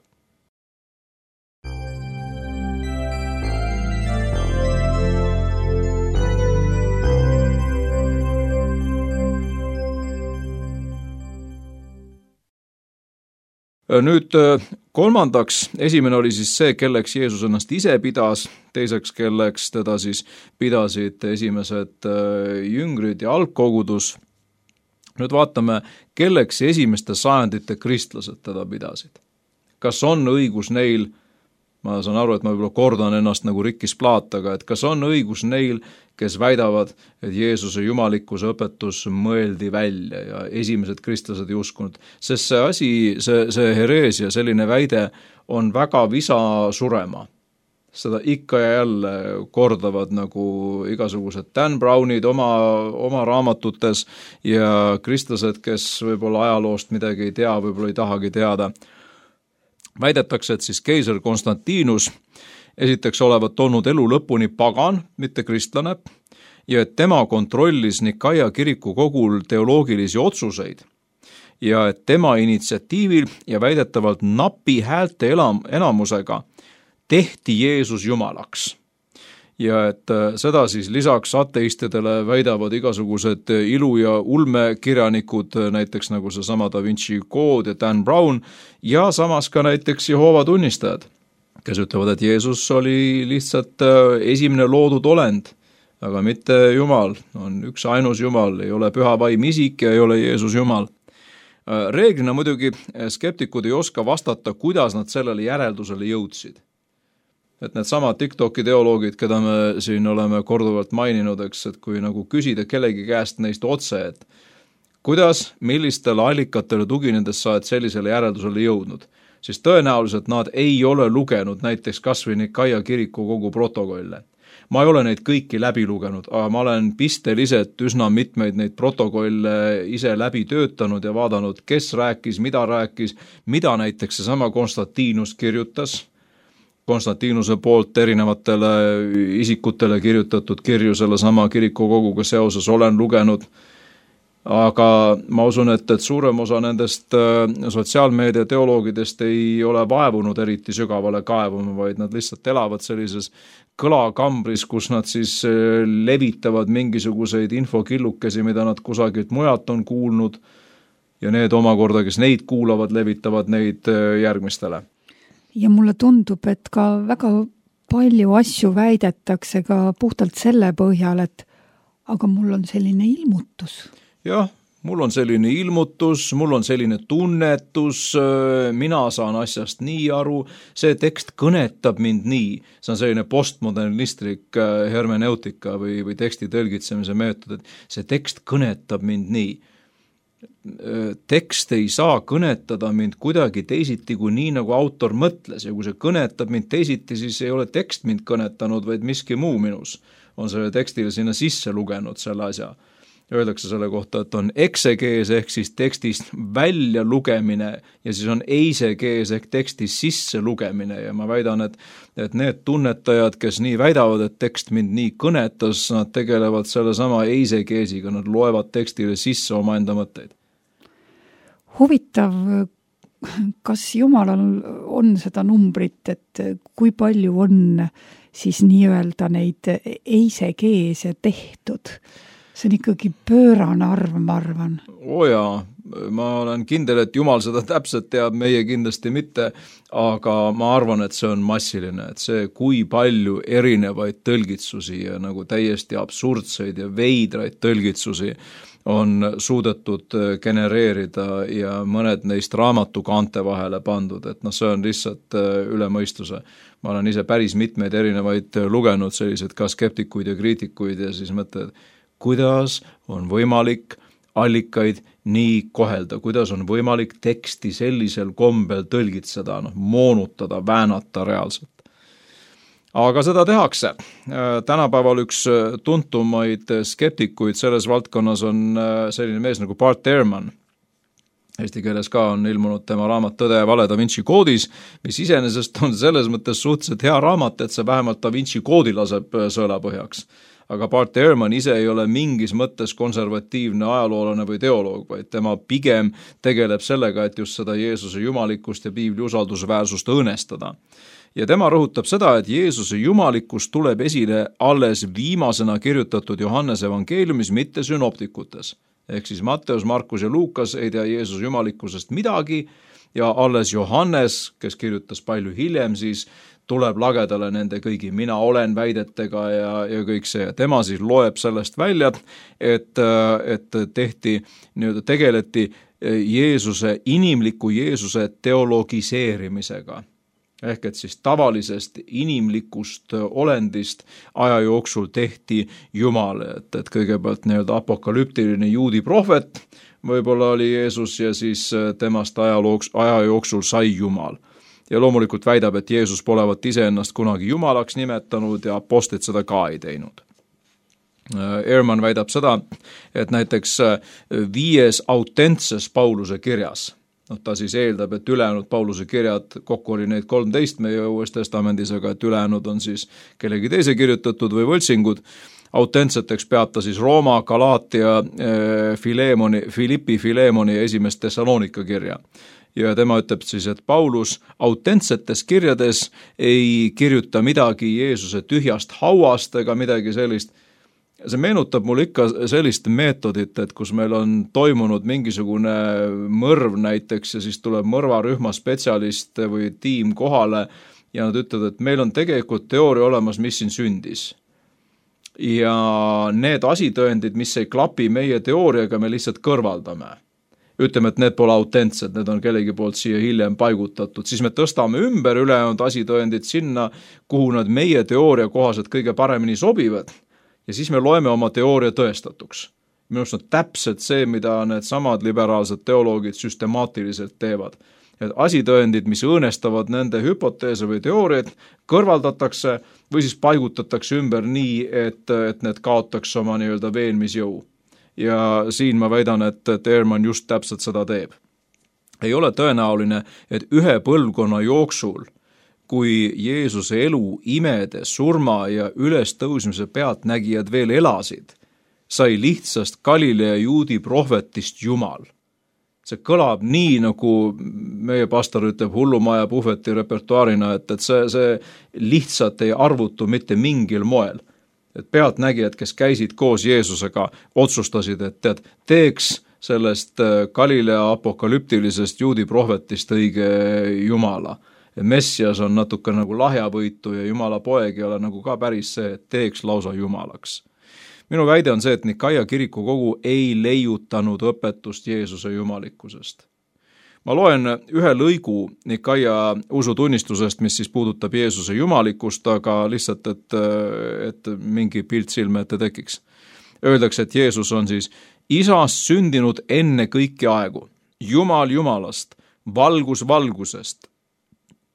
Nüüd kolmandaks, esimene oli siis see, kelleks Jeesus ennast ise pidas, teiseks, kelleks teda siis pidasid esimesed jüngrid ja algkogudus. Nüüd vaatame, kelleks esimeste sajandite kristlased teda pidasid. Kas on õigus neil, ma saan aru, et ma võib-olla kordan ennast nagu rikkis plaat, aga et kas on õigus neil, kes väidavad, et Jeesuse jumalikkuse õpetus mõeldi välja ja esimesed kristlased ei uskunud. Sest see asi, see, see hereesia, selline väide on väga visa surema. Seda ikka ja jälle kordavad nagu igasugused Dan Brownid oma, oma raamatutes ja kristlased, kes võib-olla ajaloost midagi ei tea, võib-olla ei tahagi teada. Väidetakse, et siis keiser Konstantinus esiteks olevat olnud elu lõpuni pagan, mitte kristlane, ja et tema kontrollis Nikaia kiriku kogul teoloogilisi otsuseid ja et tema initsiatiivil ja väidetavalt napi häälte elam, enamusega tehti Jeesus jumalaks. Ja et seda siis lisaks ateistidele väidavad igasugused ilu- ja ulmekirjanikud, näiteks nagu see sama Da Vinci Code ja Dan Brown, ja samas ka näiteks Jehoova tunnistajad, kes ütlevad, et Jeesus oli lihtsalt esimene loodud olend, aga mitte Jumal, on üks ainus Jumal, ei ole püha vaim isik ja ei ole Jeesus Jumal. Reeglina muidugi skeptikud ei oska vastata, kuidas nad sellele järeldusele jõudsid. Et need samad TikToki teoloogid, keda me siin oleme korduvalt maininud, eks, et kui nagu küsida kellegi käest neist otse, et kuidas, millistele allikatele tuginedes sa et sellisele järeldusele jõudnud, siis tõenäoliselt nad ei ole lugenud näiteks kas või Nikaia kiriku kogu protokolle. ma ei ole neid kõiki läbi lugenud, aga ma olen pisteliselt üsna mitmeid neid protokolle ise läbi töötanud ja vaadanud, kes rääkis, mida rääkis, mida näiteks seesama Konstantinus kirjutas, Konstantinuse poolt erinevatele isikutele kirjutatud kirju selle sama kirikukoguga seoses olen lugenud, aga ma usun, et, et suurem osa nendest sotsiaalmeedia teoloogidest ei ole vaevunud eriti sügavale kaevuma, vaid nad lihtsalt elavad sellises kõlakambris, kus nad siis levitavad mingisuguseid infokillukesi, mida nad kusagilt mujalt on kuulnud ja need omakorda, kes neid kuulavad, levitavad neid järgmistele. Ja mulle tundub, et ka väga palju asju väidetakse ka puhtalt selle põhjal, et aga mul on selline ilmutus. Jah, mul on selline ilmutus, mul on selline tunnetus, mina saan asjast nii aru, see tekst kõnetab mind nii. See on selline postmodernistlik hermeneutika või, või teksti tõlgitsemise meetod, et see tekst kõnetab mind nii. Tekst ei saa kõnetada mind kuidagi teisiti kui nii, nagu autor mõtles ja kui see kõnetab mind teisiti, siis ei ole tekst mind kõnetanud, vaid miski muu minus on selle tekstile sinna sisse lugenud selle asja. Öeldakse selle kohta, et on eksegees ehk siis tekstist välja lugemine ja siis on eisegees ehk tekstist sisse lugemine ja ma väidan, et, et need tunnetajad, kes nii väidavad, et tekst mind nii kõnetas, nad tegelevad selle sama eisegeesiga, nad loevad tekstile sisse oma enda mõtteid. Huvitav, kas Jumalal on seda numbrit, et kui palju on siis nii-öelda neid eisegeese tehtud? See on ikkagi pöörane arv, ma arvan. O jaa, ma olen kindel, et Jumal seda täpselt teab, meie kindlasti mitte, aga ma arvan, et see on massiline, et see, kui palju erinevaid tõlgitsusi ja nagu täiesti absurdseid ja veidraid tõlgitsusi on suudetud genereerida ja mõned neist raamatu kaante vahele pandud, et noh, see on lihtsalt üle mõistuse. Ma olen ise päris mitmeid erinevaid lugenud, sellised ka skeptikuid ja kriitikuid ja siis mõtled, kuidas on võimalik allikaid nii kohelda, kuidas on võimalik teksti sellisel kombel tõlgitseda, noh, moonutada, väänata reaalselt. Aga seda tehakse. Tänapäeval üks tuntumaid skeptikuid selles valdkonnas on selline mees nagu Bart Ehrman. Eesti keeles ka on ilmunud tema raamat Tõde ja vale Da Vinci koodis, mis iseenesest on selles mõttes suhteliselt hea raamat, et see vähemalt Da Vinci koodi laseb sõela põhjaks. Aga Bart Ehrman ise ei ole mingis mõttes konservatiivne ajaloolane või teoloog, vaid tema pigem tegeleb sellega, et just seda Jeesuse jumalikkust ja piibli usaldusväärsust õõnestada. Ja tema rõhutab seda, et Jeesuse jumalikkus tuleb esile alles viimasena kirjutatud Johannese evangeeliumis, mitte synoptikutes. Ehk siis Matteus, Markus ja Luukas ei tea Jeesuse jumalikkusest midagi ja alles Johannes, kes kirjutas palju hiljem, siis tuleb lagedale nende kõigi mina olen väidetega ja, ja kõik see. Tema siis loeb sellest välja, et, et tehti, nii-öelda tegeleti Jeesuse, inimliku Jeesuse teologiseerimisega. Ehk et siis tavalisest inimlikust olendist aja jooksul tehti Jumal, et, et kõigepealt nii-öelda apokalüptiline juudi prohvet võib-olla oli Jeesus ja siis temast ajalooks, aja jooksul sai Jumal. Ja loomulikult väidab, et Jeesus polevat iseennast kunagi Jumalaks nimetanud ja apostlid seda ka ei teinud. Ehrman väidab seda, et näiteks viies autentses Pauluse kirjas, noh, ta siis eeldab, et ülejäänud Pauluse kirjad, kokku oli neid kolmteist meie Uues Testamendis, aga et ülejäänud on siis kellegi teise kirjutatud või võltsingud. Autentseteks peab ta siis Rooma, Galaatia, Filemoni, Filippi, Filemoni ja esimest Thessalonika kirja. Ja tema ütleb siis, et Paulus autentsetes kirjades ei kirjuta midagi Jeesuse tühjast hauast ega midagi sellist. See meenutab mul ikka sellist meetodit, et kus meil on toimunud mingisugune mõrv näiteks ja siis tuleb mõrvarühma spetsialist või tiim kohale ja nad ütlevad, et meil on tegelikult teooria olemas, mis siin sündis. Ja need asitõendid, mis ei klapi meie teooriaga, me lihtsalt kõrvaldame. Ütleme, et need pole autentsed, need on kellegi poolt siia hiljem paigutatud, siis me tõstame ümber ülejäänud asitõendid sinna, kuhu nad meie teooria kohaselt kõige paremini sobivad ja siis me loeme oma teooria tõestatuks. Minust on täpselt see, mida need samad liberaalsed teoloogid süstemaatiliselt teevad. et asitõendid, mis õõnestavad nende hüpoteese või teooriaid, kõrvaldatakse või siis paigutatakse ümber nii, et, et need kaotaks oma nii-öelda veenmisjõu. Ja siin ma väidan, et, et Ehrman just täpselt seda teeb. Ei ole tõenäoline, et ühe põlvkonna jooksul, kui Jeesuse elu, imede, surma ja ülestõusmise pealtnägijad veel elasid, sai lihtsast Galilea juudi prohvetist Jumal. See kõlab nii, nagu meie pastor ütleb hullumaja puhveti repertuaarina, et, et see, see lihtsalt ei arvutu mitte mingil moel. Et pealtnägijad, kes käisid koos Jeesusega, otsustasid, et tead, teeks sellest Galilea apokalüptilisest juudi prohvetist õige Jumala. Messias on natuke nagu lahjavõitu ja Jumala poeg ei ole nagu ka päris see, et teeks lausa Jumalaks. Minu väide on see, et Nikaia kirikukogu ei leiutanud õpetust Jeesuse jumalikkusest. Ma loen ühe lõigu Nikaia usutunnistusest, mis siis puudutab Jeesuse jumalikkust, aga lihtsalt, et, et mingi pilt silme ette tekiks. Öeldakse, et Jeesus on siis isast sündinud enne kõiki aegu, Jumal Jumalast, valgus valgusest,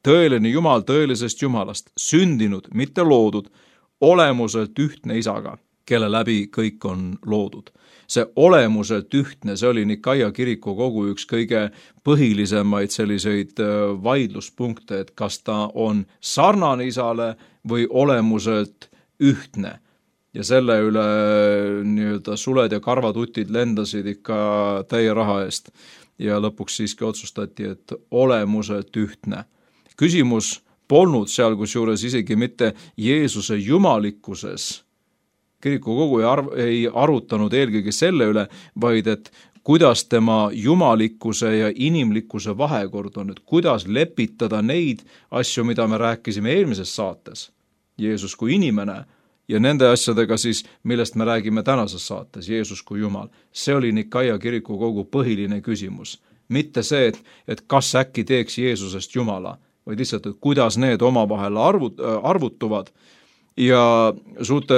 tõeline Jumal tõelisest Jumalast, sündinud, mitte loodud, olemuselt ühtne isaga, kelle läbi kõik on loodud. See olemuselt ühtne, see oli Nikaia kirikukogu üks kõige põhilisemaid selliseid vaidluspunkte, et kas ta on sarnane isale või olemuselt ühtne. Ja selle üle nii-öelda suled ja karvatutid lendasid ikka täie raha eest. Ja lõpuks siiski otsustati, et olemuselt ühtne. Küsimus polnud seal kusjuures isegi mitte Jeesuse jumalikkuses. Kirikukogu ei, arv, ei arutanud eelkõige selle üle, vaid et kuidas tema jumalikkuse ja inimlikkuse vahekord on, et kuidas lepitada neid asju, mida me rääkisime eelmises saates, Jeesus kui inimene, ja nende asjadega siis, millest me räägime tänases saates, Jeesus kui Jumal. See oli Nikaia kirikukogu põhiline küsimus. Mitte see, et, et kas äkki teeks Jeesusest Jumala, vaid lihtsalt, et kuidas need omavahel arvut, arvutuvad. Ja suurte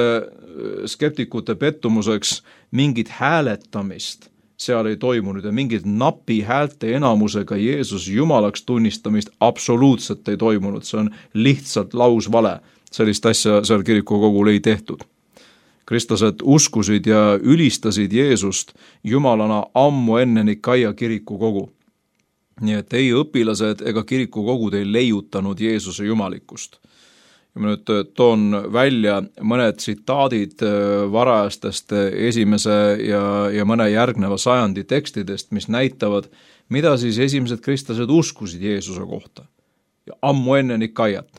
skeptikute pettumuseks mingit hääletamist seal ei toimunud ja mingit napi häälte enamusega Jeesus Jumalaks tunnistamist absoluutselt ei toimunud. See on lihtsalt lausvale. Sellist asja seal kirikukogul ei tehtud. Kristlased uskusid ja ülistasid Jeesust Jumalana ammu enne Nikaia kirikukogu. Nii et ei õpilased ega kirikukogud ei leiutanud Jeesuse jumalikkust. Ja ma nüüd toon välja mõned tsitaadid varajastest esimese ja, ja mõne järgneva sajandi tekstidest, mis näitavad, mida siis esimesed kristlased uskusid Jeesuse kohta. Ja ammu enne Nikaiat.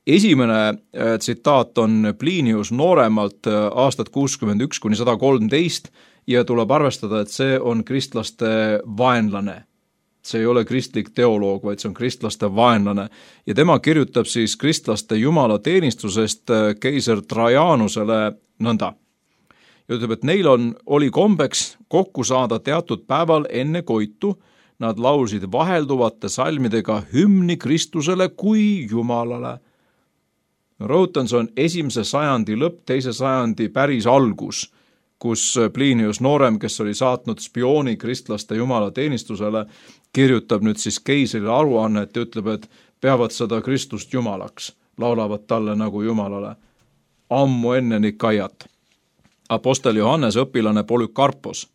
Esimene tsitaat on Plinius nooremalt aastat kuuskümmend üks kuni sada kolmteist ja tuleb arvestada, et see on kristlaste vaenlane. See ei ole kristlik teoloog, vaid see on kristlaste vaenlane. Ja tema kirjutab siis kristlaste jumala teenistusest keiser Trajanusele nõnda. Ja ütleb, et neil on, oli kombeks kokku saada teatud päeval enne koitu. Nad laulsid vahelduvate salmidega hümni Kristusele kui Jumalale. Rõhutan, see on esimese sajandi lõpp, teise sajandi päris algus, kus Plinius noorem, kes oli saatnud spiooni kristlaste jumala teenistusele, kirjutab nüüd siis keisrile aruannet ja ütleb, et peavad seda Kristust Jumalaks, laulavad talle nagu Jumalale. Ammu enne Nikaiat. Apostel Johannes õpilane Polükarpos,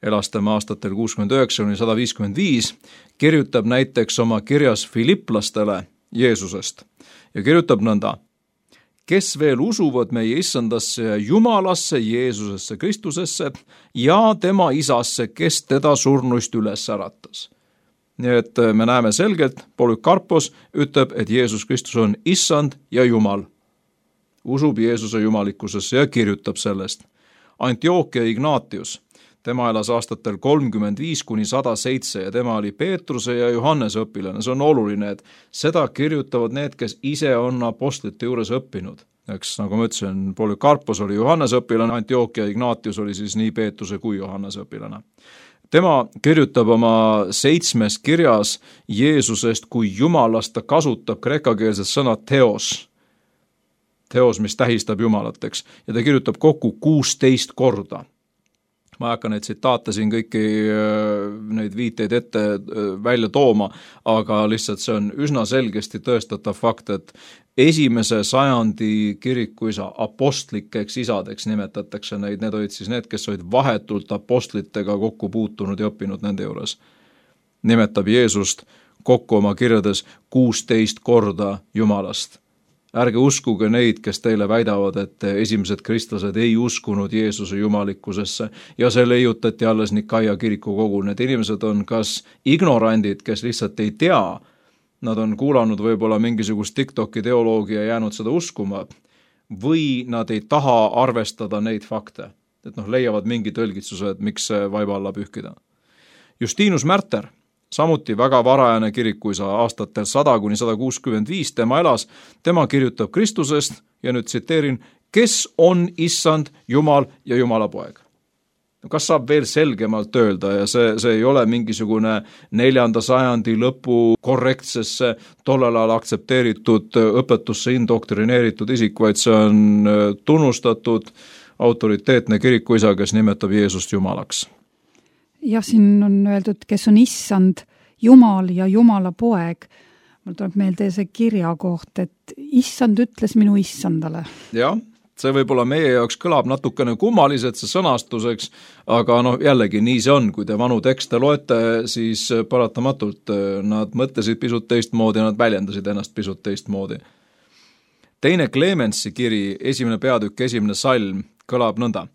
elas tema aastatel kuuskümmend üheksa kuni sada viiskümmend viis, kirjutab näiteks oma kirjas Filiplastele Jeesusest ja kirjutab nõnda. Kes veel usuvad meie issandasse ja Jumalasse, Jeesusesse, Kristusesse ja tema isasse, kes teda surnuist üles äratas. Nii et me näeme selgelt, Polükarpos ütleb, et Jeesus Kristus on issand ja Jumal. Usub Jeesuse jumalikkusesse ja kirjutab sellest. Antiochia Ignatius, tema elas aastatel kolmkümmend viis kuni sada seitse ja tema oli Peetruse ja Johannese õpilane. See on oluline, et seda kirjutavad need, kes ise on apostlite juures õppinud. Eks, nagu ma ütlesin, Polükarpos oli Johannese õpilane, Antiochia Ignatius oli siis nii Peetruse kui Johannese õpilane. Tema kirjutab oma seitsmes kirjas Jeesusest kui Jumalast, ta kasutab kreekakeelset sõna teos. Teos, mis tähistab Jumalat, eks. Ja ta kirjutab kokku kuusteist korda. ma ei hakka neid tsitaate siin kõiki neid viiteid ette välja tooma, aga lihtsalt see on üsna selgesti tõestatav fakt, et esimese sajandi kirikuisa apostlikeks isadeks nimetatakse neid, need olid siis need, kes olid vahetult apostlitega kokku puutunud ja õppinud nende juures. Nimetab Jeesust kokku oma kirjades kuusteist korda Jumalast. Ärge uskuge neid, kes teile väidavad, et esimesed kristlased ei uskunud Jeesuse jumalikkusesse ja see leiutati alles Nikaia kiriku kogul. Need inimesed on kas ignorandid, kes lihtsalt ei tea, nad on kuulanud võib-olla mingisugust TikToki teoloogia ja jäänud seda uskuma, või nad ei taha arvestada neid fakte, et noh, leiavad mingi tõlgitsuse, et miks see vaiba alla pühkida. Justinus Märter, samuti väga varajane kirikuisa aastatel sada kuni sada kuuskümmend viis, tema elas, tema kirjutab Kristusest ja nüüd tsiteerin, kes on issand, Jumal ja Jumala poeg. Kas saab veel selgemalt öelda ja see, see ei ole mingisugune neljanda sajandi lõpu korrektsesse tollel ajal aktsepteeritud õpetusse indoktrineeritud isik, vaid see on tunnustatud autoriteetne kirikuisa, kes nimetab Jeesust Jumalaks. Jah, siin on öeldud, kes on issand, Jumal ja Jumala poeg. Mul tuleb meelde see kirja koht, et issand ütles minu issandale. Jah, see võib-olla meie jaoks kõlab natukene kummaliselt see sõnastuseks, aga noh, jällegi nii see on, kui te vanu tekste loete, siis paratamatult nad mõtlesid pisut teistmoodi ja nad väljendasid ennast pisut teistmoodi. Teine Clemensi kiri, esimene peatükk, esimene salm, kõlab nõnda.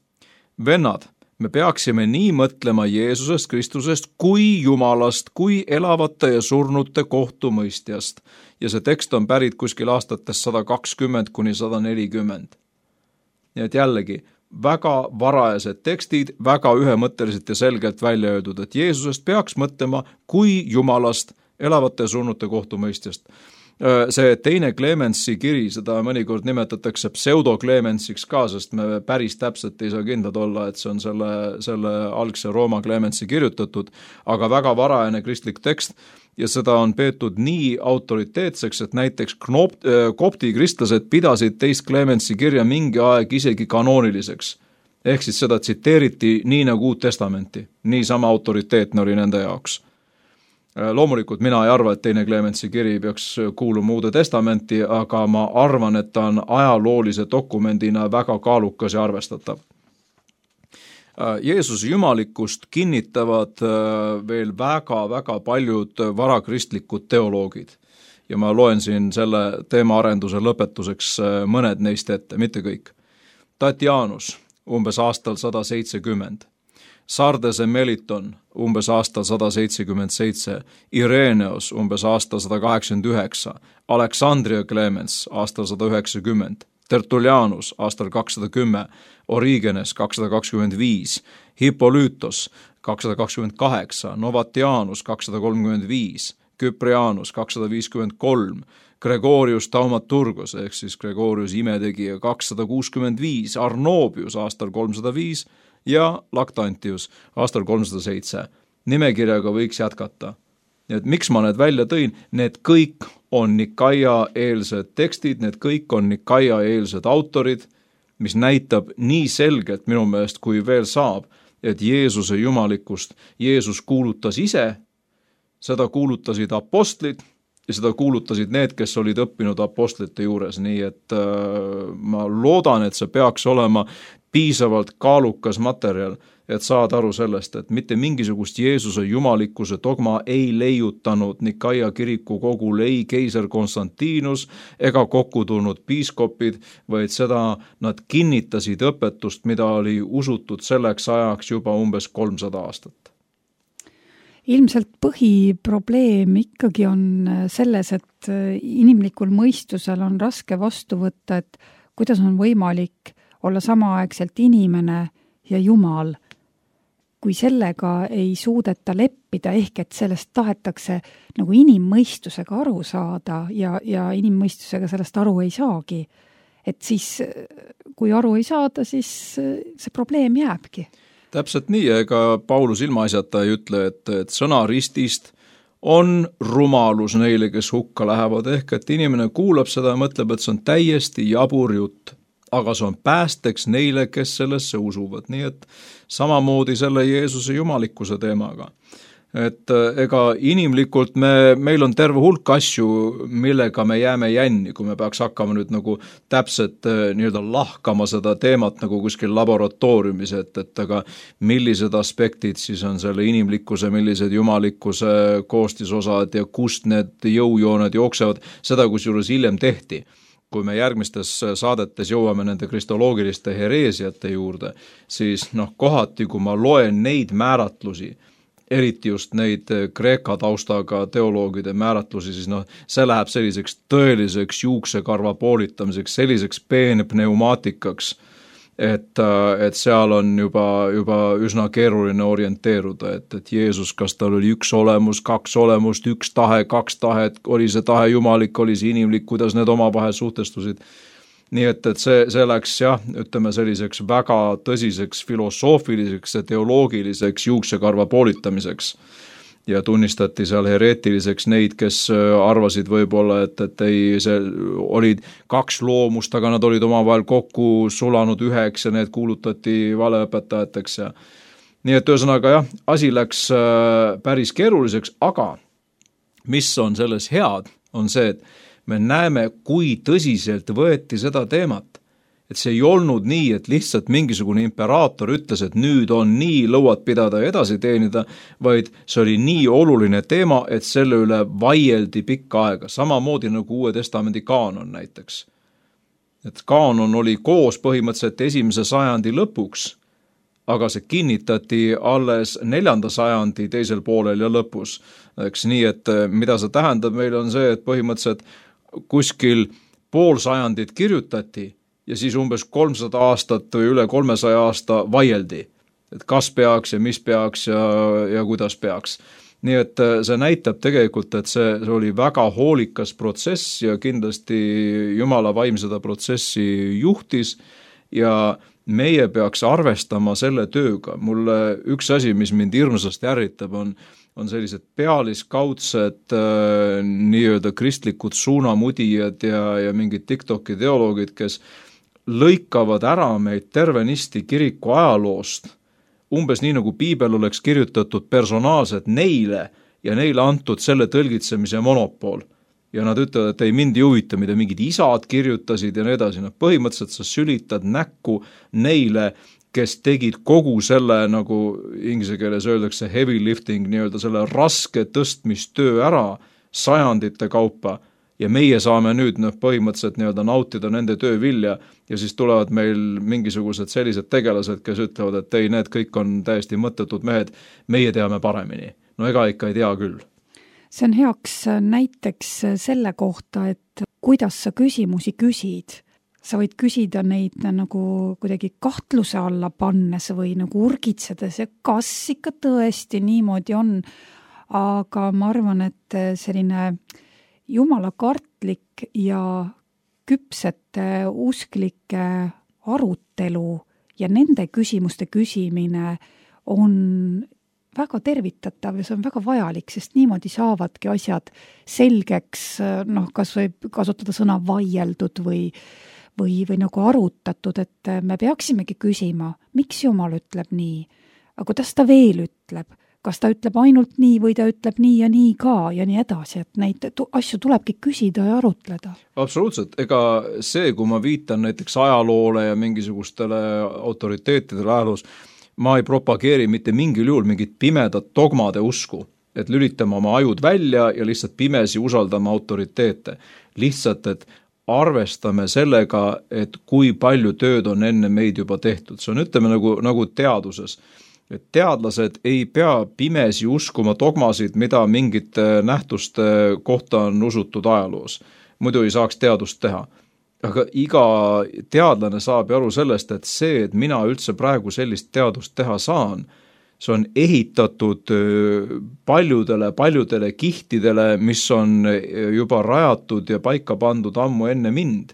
Vennad, me peaksime nii mõtlema Jeesusest Kristusest kui Jumalast, kui elavate ja surnute kohtumõistjast. Ja see tekst on pärit kuskil aastates sada kakskümmend kuni sada nelikümmend. Nii et jällegi, väga varajased tekstid, väga ühemõtteliselt ja selgelt välja öeldud, et Jeesusest peaks mõtlema kui Jumalast, elavate ja surnute kohtumõistjast. See teine Clemensi kiri, seda mõnikord nimetatakse pseudo-Clemensiks ka, sest me päris täpselt ei saa kindlad olla, et see on selle, selle algse Rooma Clemensi kirjutatud, aga väga varajane kristlik tekst ja seda on peetud nii autoriteetseks, et näiteks kopti kristlased pidasid teist Clemensi kirja mingi aeg isegi kanooniliseks. Ehk siis seda tsiteeriti nii nagu Uut Testamenti, nii sama autoriteetne oli nende jaoks. Loomulikult mina ei arva, et teine Clemensi kiri peaks kuuluma Uude Testamenti, aga ma arvan, et ta on ajaloolise dokumendina väga kaalukas ja arvestatav. Jeesuse jumalikkust kinnitavad veel väga-väga paljud varakristlikud teoloogid. Ja ma loen siin selle teemaarenduse lõpetuseks mõned neist ette, mitte kõik. Tatianus, umbes aastal sada seitsekümmend. Sardese Meliton, umbes aastal sada seitsekümmend seitse, Ireneos, umbes aastal sada kaheksakümmend üheksa, Aleksandria Clemens, aastal sada üheksakümmend, Tertullianus, aastal kakssada kümme, Origenes, kakssada kakskümmend viis, Hippolytos, kakssada kakskümmend kaheksa, Novatianus, kakssada kolmkümmend viis, Kyprianus, kakssada viiskümmend kolm, Gregorius Taumaturgos, ehk siis Gregorius imetegija, kakssada kuuskümmend viis, Arnobius, aastal kolmsada viis, ja Lactantius aastal kolmsada seitse. Nimekirjaga võiks jätkata. Et miks ma need välja tõin? Need kõik on Nikaia-eelsed tekstid, need kõik on Nikaia-eelsed autorid, mis näitab nii selgelt minu meelest, kui veel saab, et Jeesuse jumalikkust Jeesus kuulutas ise, seda kuulutasid apostlid ja seda kuulutasid need, kes olid õppinud apostlite juures, nii et äh, ma loodan, et see peaks olema piisavalt kaalukas materjal, et saad aru sellest, et mitte mingisugust Jeesuse jumalikkuse dogma ei leiutanud Nikaia kiriku kogul ei keiser Konstantinus ega kokku tulnud piiskopid, vaid seda nad kinnitasid õpetust, mida oli usutud selleks ajaks juba umbes kolmsada aastat. Ilmselt põhiprobleem ikkagi on selles, et inimlikul mõistusel on raske vastu võtta, et kuidas on võimalik olla samaaegselt inimene ja Jumal, kui sellega ei suudeta leppida, ehk et sellest tahetakse nagu inimmõistusega aru saada ja, ja inimmõistusega sellest aru ei saagi. Et siis, kui aru ei saada, siis see probleem jääbki. Täpselt nii, ega Paulus ilmaasjata ei ütle, et, et sõna ristist on rumalus neile, kes hukka lähevad, ehk et inimene kuulab seda ja mõtleb, et see on täiesti jabur jutt. aga see on päästeks neile, kes sellesse usuvad. Nii et samamoodi selle Jeesuse jumalikkuse teemaga. Et ega inimlikult me, meil on terve hulk asju, millega me jääme jänni, kui me peaks hakkama nüüd nagu täpselt nii-öelda lahkama seda teemat nagu kuskil laboratooriumis, et, et aga millised aspektid siis on selle inimlikkuse, millised jumalikkuse koostisosad ja kust need jõujooned jooksevad, seda kusjuures hiljem tehti. Kui me järgmistes saadetes jõuame nende kristoloogiliste hereesiate juurde, siis noh, kohati, kui ma loen neid määratlusi, eriti just neid Kreeka taustaga teoloogide määratlusi, siis noh, see läheb selliseks tõeliseks juuksekarva poolitamiseks, selliseks peenpneumaatikaks, et, et seal on juba, juba üsna keeruline orienteeruda, et, et Jeesus, kas tal oli üks olemus, kaks olemust, üks tahe, kaks tahet, oli see tahe jumalik, oli see inimlik, kuidas need omavahel suhtestusid. Nii et, et see, see läks jah, ütleme selliseks väga tõsiseks filosoofiliseks ja teoloogiliseks juuksekarva poolitamiseks ja tunnistati seal hereetiliseks neid, kes arvasid võib-olla, et, et ei, see olid kaks loomust, aga nad olid omavahel kokku sulanud üheks ja need kuulutati valeõpetajateks ja nii et ühesõnaga jah, asi läks päris keeruliseks, aga mis on selles head, on see, et me näeme, kui tõsiselt võeti seda teemat. Et see ei olnud nii, et lihtsalt mingisugune imperaator ütles, et nüüd on nii lõuad pidada ja edasi teenida, vaid see oli nii oluline teema, et selle üle vaieldi pikka aega. Samamoodi nagu Uue Testamendi kaanon näiteks. Et kaanon oli koos põhimõtteliselt esimese sajandi lõpuks, aga see kinnitati alles neljanda sajandi teisel poolel ja lõpus. Eks nii, et mida see tähendab meile on see, et põhimõtteliselt kuskil pool sajandit kirjutati ja siis umbes kolmsada aastat või üle kolmesaja aasta vaieldi, et kas peaks ja mis peaks ja, ja kuidas peaks. Nii et see näitab tegelikult, et see, see oli väga hoolikas protsess ja kindlasti Jumala vaim seda protsessi juhtis ja meie peaks arvestama selle tööga. Mulle üks asi, mis mind hirmsasti ärritab, on on sellised pealiskaudsed äh, nii-öelda kristlikud suunamudijad ja, ja mingid TikToki teoloogid, kes lõikavad ära meid tervenisti kiriku ajaloost, umbes nii nagu piibel oleks kirjutatud personaalselt neile ja neile antud selle tõlgitsemise monopol. Ja nad ütlevad, et ei mind ei huvita, mida mingid isad kirjutasid ja nii edasi. No, põhimõtteliselt sa sülitad näkku neile, kes tegid kogu selle, nagu inglise keeles öeldakse heavy lifting, nii-öelda selle raske tõstmistöö ära sajandite kaupa ja meie saame nüüd noh, põhimõtteliselt nii-öelda nautida nende töö vilja ja siis tulevad meil mingisugused sellised tegelased, kes ütlevad, et ei, need kõik on täiesti mõttetud mehed, meie teame paremini. No ega ikka ei tea küll. See on heaks näiteks selle kohta, et kuidas sa küsimusi küsid. Sa võid küsida neid nagu kuidagi kahtluse alla pannes või nagu urgitsedes ja kas ikka tõesti niimoodi on. Aga ma arvan, et selline jumala kartlik ja küpsete usklike arutelu ja nende küsimuste küsimine on väga tervitatav ja see on väga vajalik, sest niimoodi saavadki asjad selgeks, noh, kas võib kasutada sõna vaieldud või Või, või nagu arutatud, et me peaksimegi küsima, miks Jumal ütleb nii, aga kuidas ta veel ütleb, kas ta ütleb ainult nii või ta ütleb nii ja nii ka ja nii edasi, et neid asju tulebki küsida ja arutleda. Absoluutselt, ega see, kui ma viitan näiteks ajaloole ja mingisugustele autoriteetidele ajaloos, ma ei propageeri mitte mingil juhul mingit pimedat dogmade usku, et lülitame oma ajud välja ja lihtsalt pimesi usaldame autoriteete. Lihtsalt, et arvestame sellega, et kui palju tööd on enne meid juba tehtud. See on, ütleme, nagu, nagu teaduses. Et teadlased ei pea pimesi uskuma dogmasid, mida mingite nähtuste kohta on usutud ajaloos. Muidu ei saaks teadust teha. Aga iga teadlane saab aru sellest, et see, et mina üldse praegu sellist teadust teha saan, see on ehitatud paljudele, paljudele kihtidele, mis on juba rajatud ja paika pandud ammu enne mind.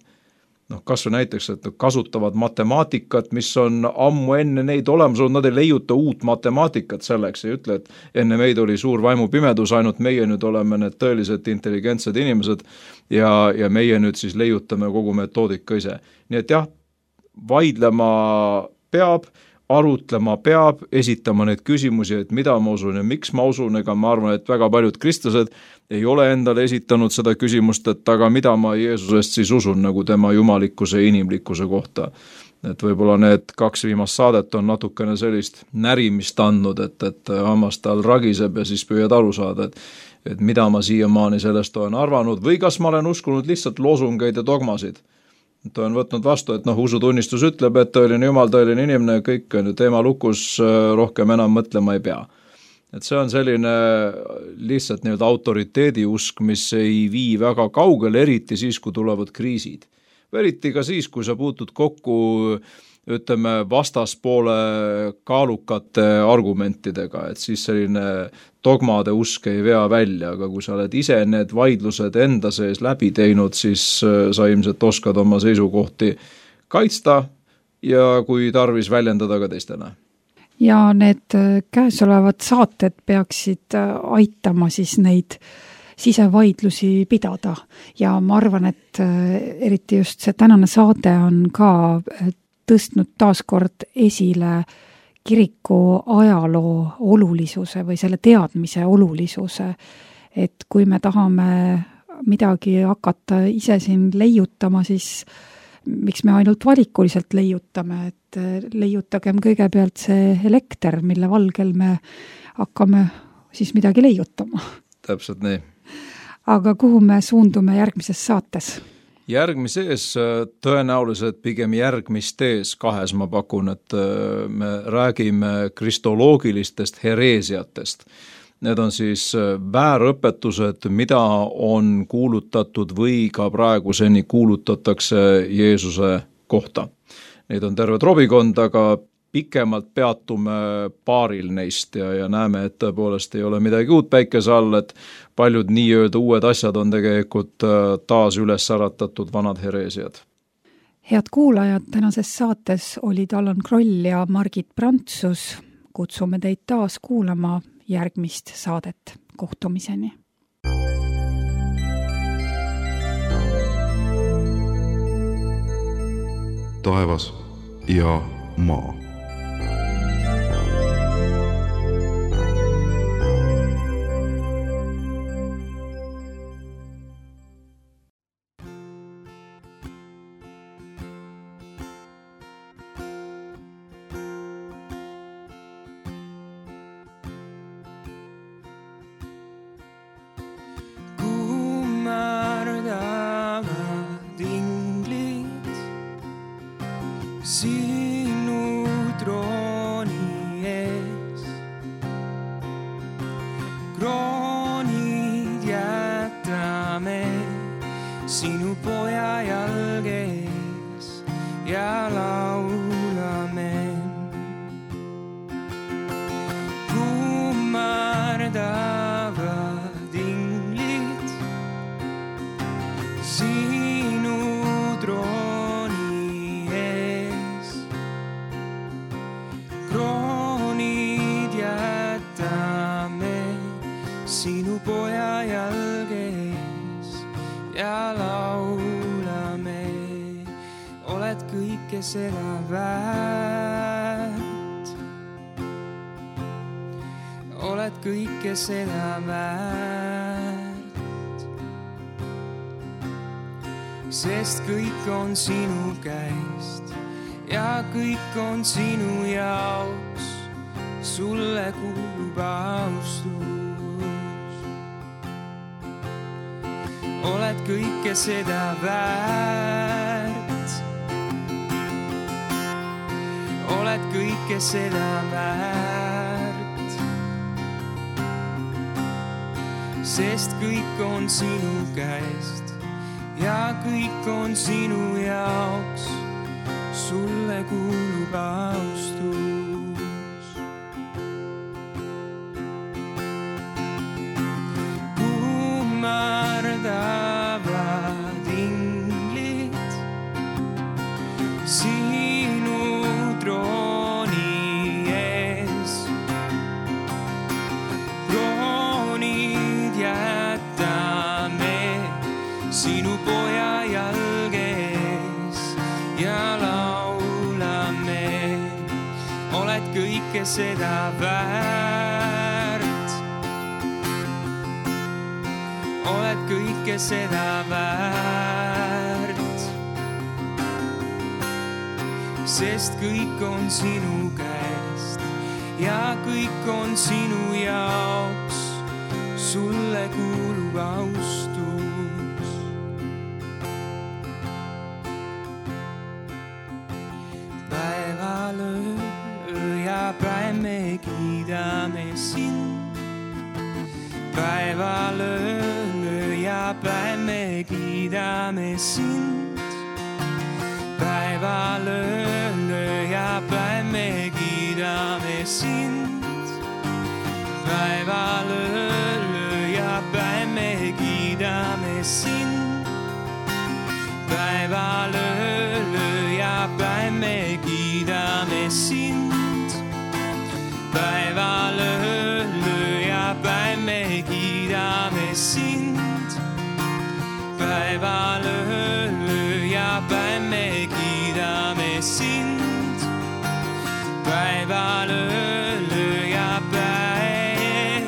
Noh, kas või näiteks, et kasutavad matemaatikat, mis on ammu enne neid olemas olnud, nad ei leiuta uut matemaatikat selleks, ei ütle, et enne meid oli suur vaimupimedus, ainult meie nüüd oleme need tõeliselt intelligentsed inimesed ja, ja meie nüüd siis leiutame kogu metoodika ise. Nii et jah, vaidlema peab, arutlema peab, esitama neid küsimusi, et mida ma usun ja miks ma usun, ega ma arvan, et väga paljud kristlased ei ole endale esitanud seda küsimust, et aga mida ma Jeesusest siis usun nagu tema jumalikkuse ja inimlikkuse kohta. Et võib-olla need kaks viimast saadet on natukene sellist närimist andnud, et, et hammas tal ragiseb ja siis püüad aru saada, et, et mida ma siiamaani sellest olen arvanud või kas ma olen uskunud lihtsalt loosungeid ja dogmasid. Et olen võtnud vastu, et noh, usutunnistus ütleb, et tõeline jumal, tõeline inimene, kõik on ju teema lukus, rohkem enam mõtlema ei pea. Et see on selline lihtsalt nii-öelda autoriteedi usk, mis ei vii väga kaugele, eriti siis, kui tulevad kriisid. Eriti ka siis, kui sa puutud kokku, ütleme, vastaspoole kaalukate argumentidega, et siis selline dogmade usk ei vea välja, aga kui sa oled ise need vaidlused enda sees läbi teinud, siis sa ilmselt oskad oma seisukohti kaitsta ja kui tarvis väljendada ka teistele. Ja need käesolevad saated peaksid aitama siis neid sisevaidlusi pidada ja ma arvan, et eriti just see tänane saade on ka tõstnud taaskord esile kiriku ajaloo olulisuse või selle teadmise olulisuse, et kui me tahame midagi hakata ise siin leiutama, siis miks me ainult valikuliselt leiutame, et leiutagem kõigepealt see elekter, mille valgel me hakkame siis midagi leiutama. Täpselt nii. Aga kuhu me suundume järgmises saates? Järgmises tõenäoliselt pigem järgmistes kahes ma pakun, et me räägime kristoloogilistest hereesiatest. Need on siis väärõpetused, mida on kuulutatud või ka praeguseni kuulutatakse Jeesuse kohta. Neid on terve trobikond, aga pikemalt peatume paaril neist ja, ja näeme, et tõepoolest ei ole midagi uut päikese all, et paljud nii-öelda uued asjad on tegelikult taas üles äratatud vanad hereesiad. Head kuulajad, tänases saates olid Allan Kroll ja Margit Prantsus. Kutsume teid taas kuulama järgmist saadet. Kohtumiseni! Taevas ja maa. Seda väärt, oled kõike seda väärt, sest kõik on sinu käest ja kõik on sinu jaoks, sulle kuulub austus. Oled kõike seda väärt, oled kõike seda väärt, sest kõik on sinu käest ja kõik on sinu jaoks, sulle kuulub austus. Kummardavad inglid sinu trooni ees, kroonid jätame sinu poja jalges ja laulame. kõike seda väärt. Oled kõike seda väärt, sest kõik on sinu käest ja kõik on sinu jaoks, sulle kuulub austus. Päeval öö ja päev me kiidame sind. Päeval öö ja päev me kiidame sind. Päeval öö ja päev me kiidame sind. Päeval öö ja päev me kiidame sind. Päeval öö ja päev me kiidame sind. Päeval öö ja päev me kiidame sind. Päeval öö ja päev me kiidame sind. Päeval öö ja päev,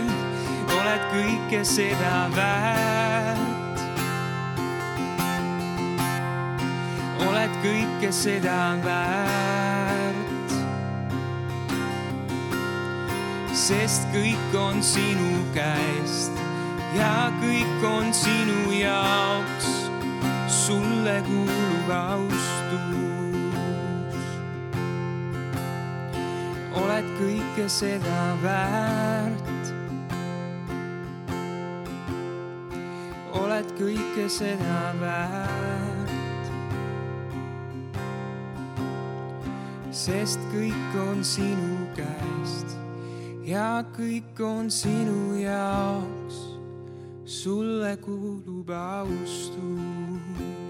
oled kõike seda väärt. Oled kõike seda väärt, sest kõik on sinu käest ja kõik on sinu jaoks, sulle kuulub austus. Oled kõike seda väärt, oled kõike seda väärt, sest kõik on sinu käest ja kõik on sinu jaoks, sulle kuulub austus.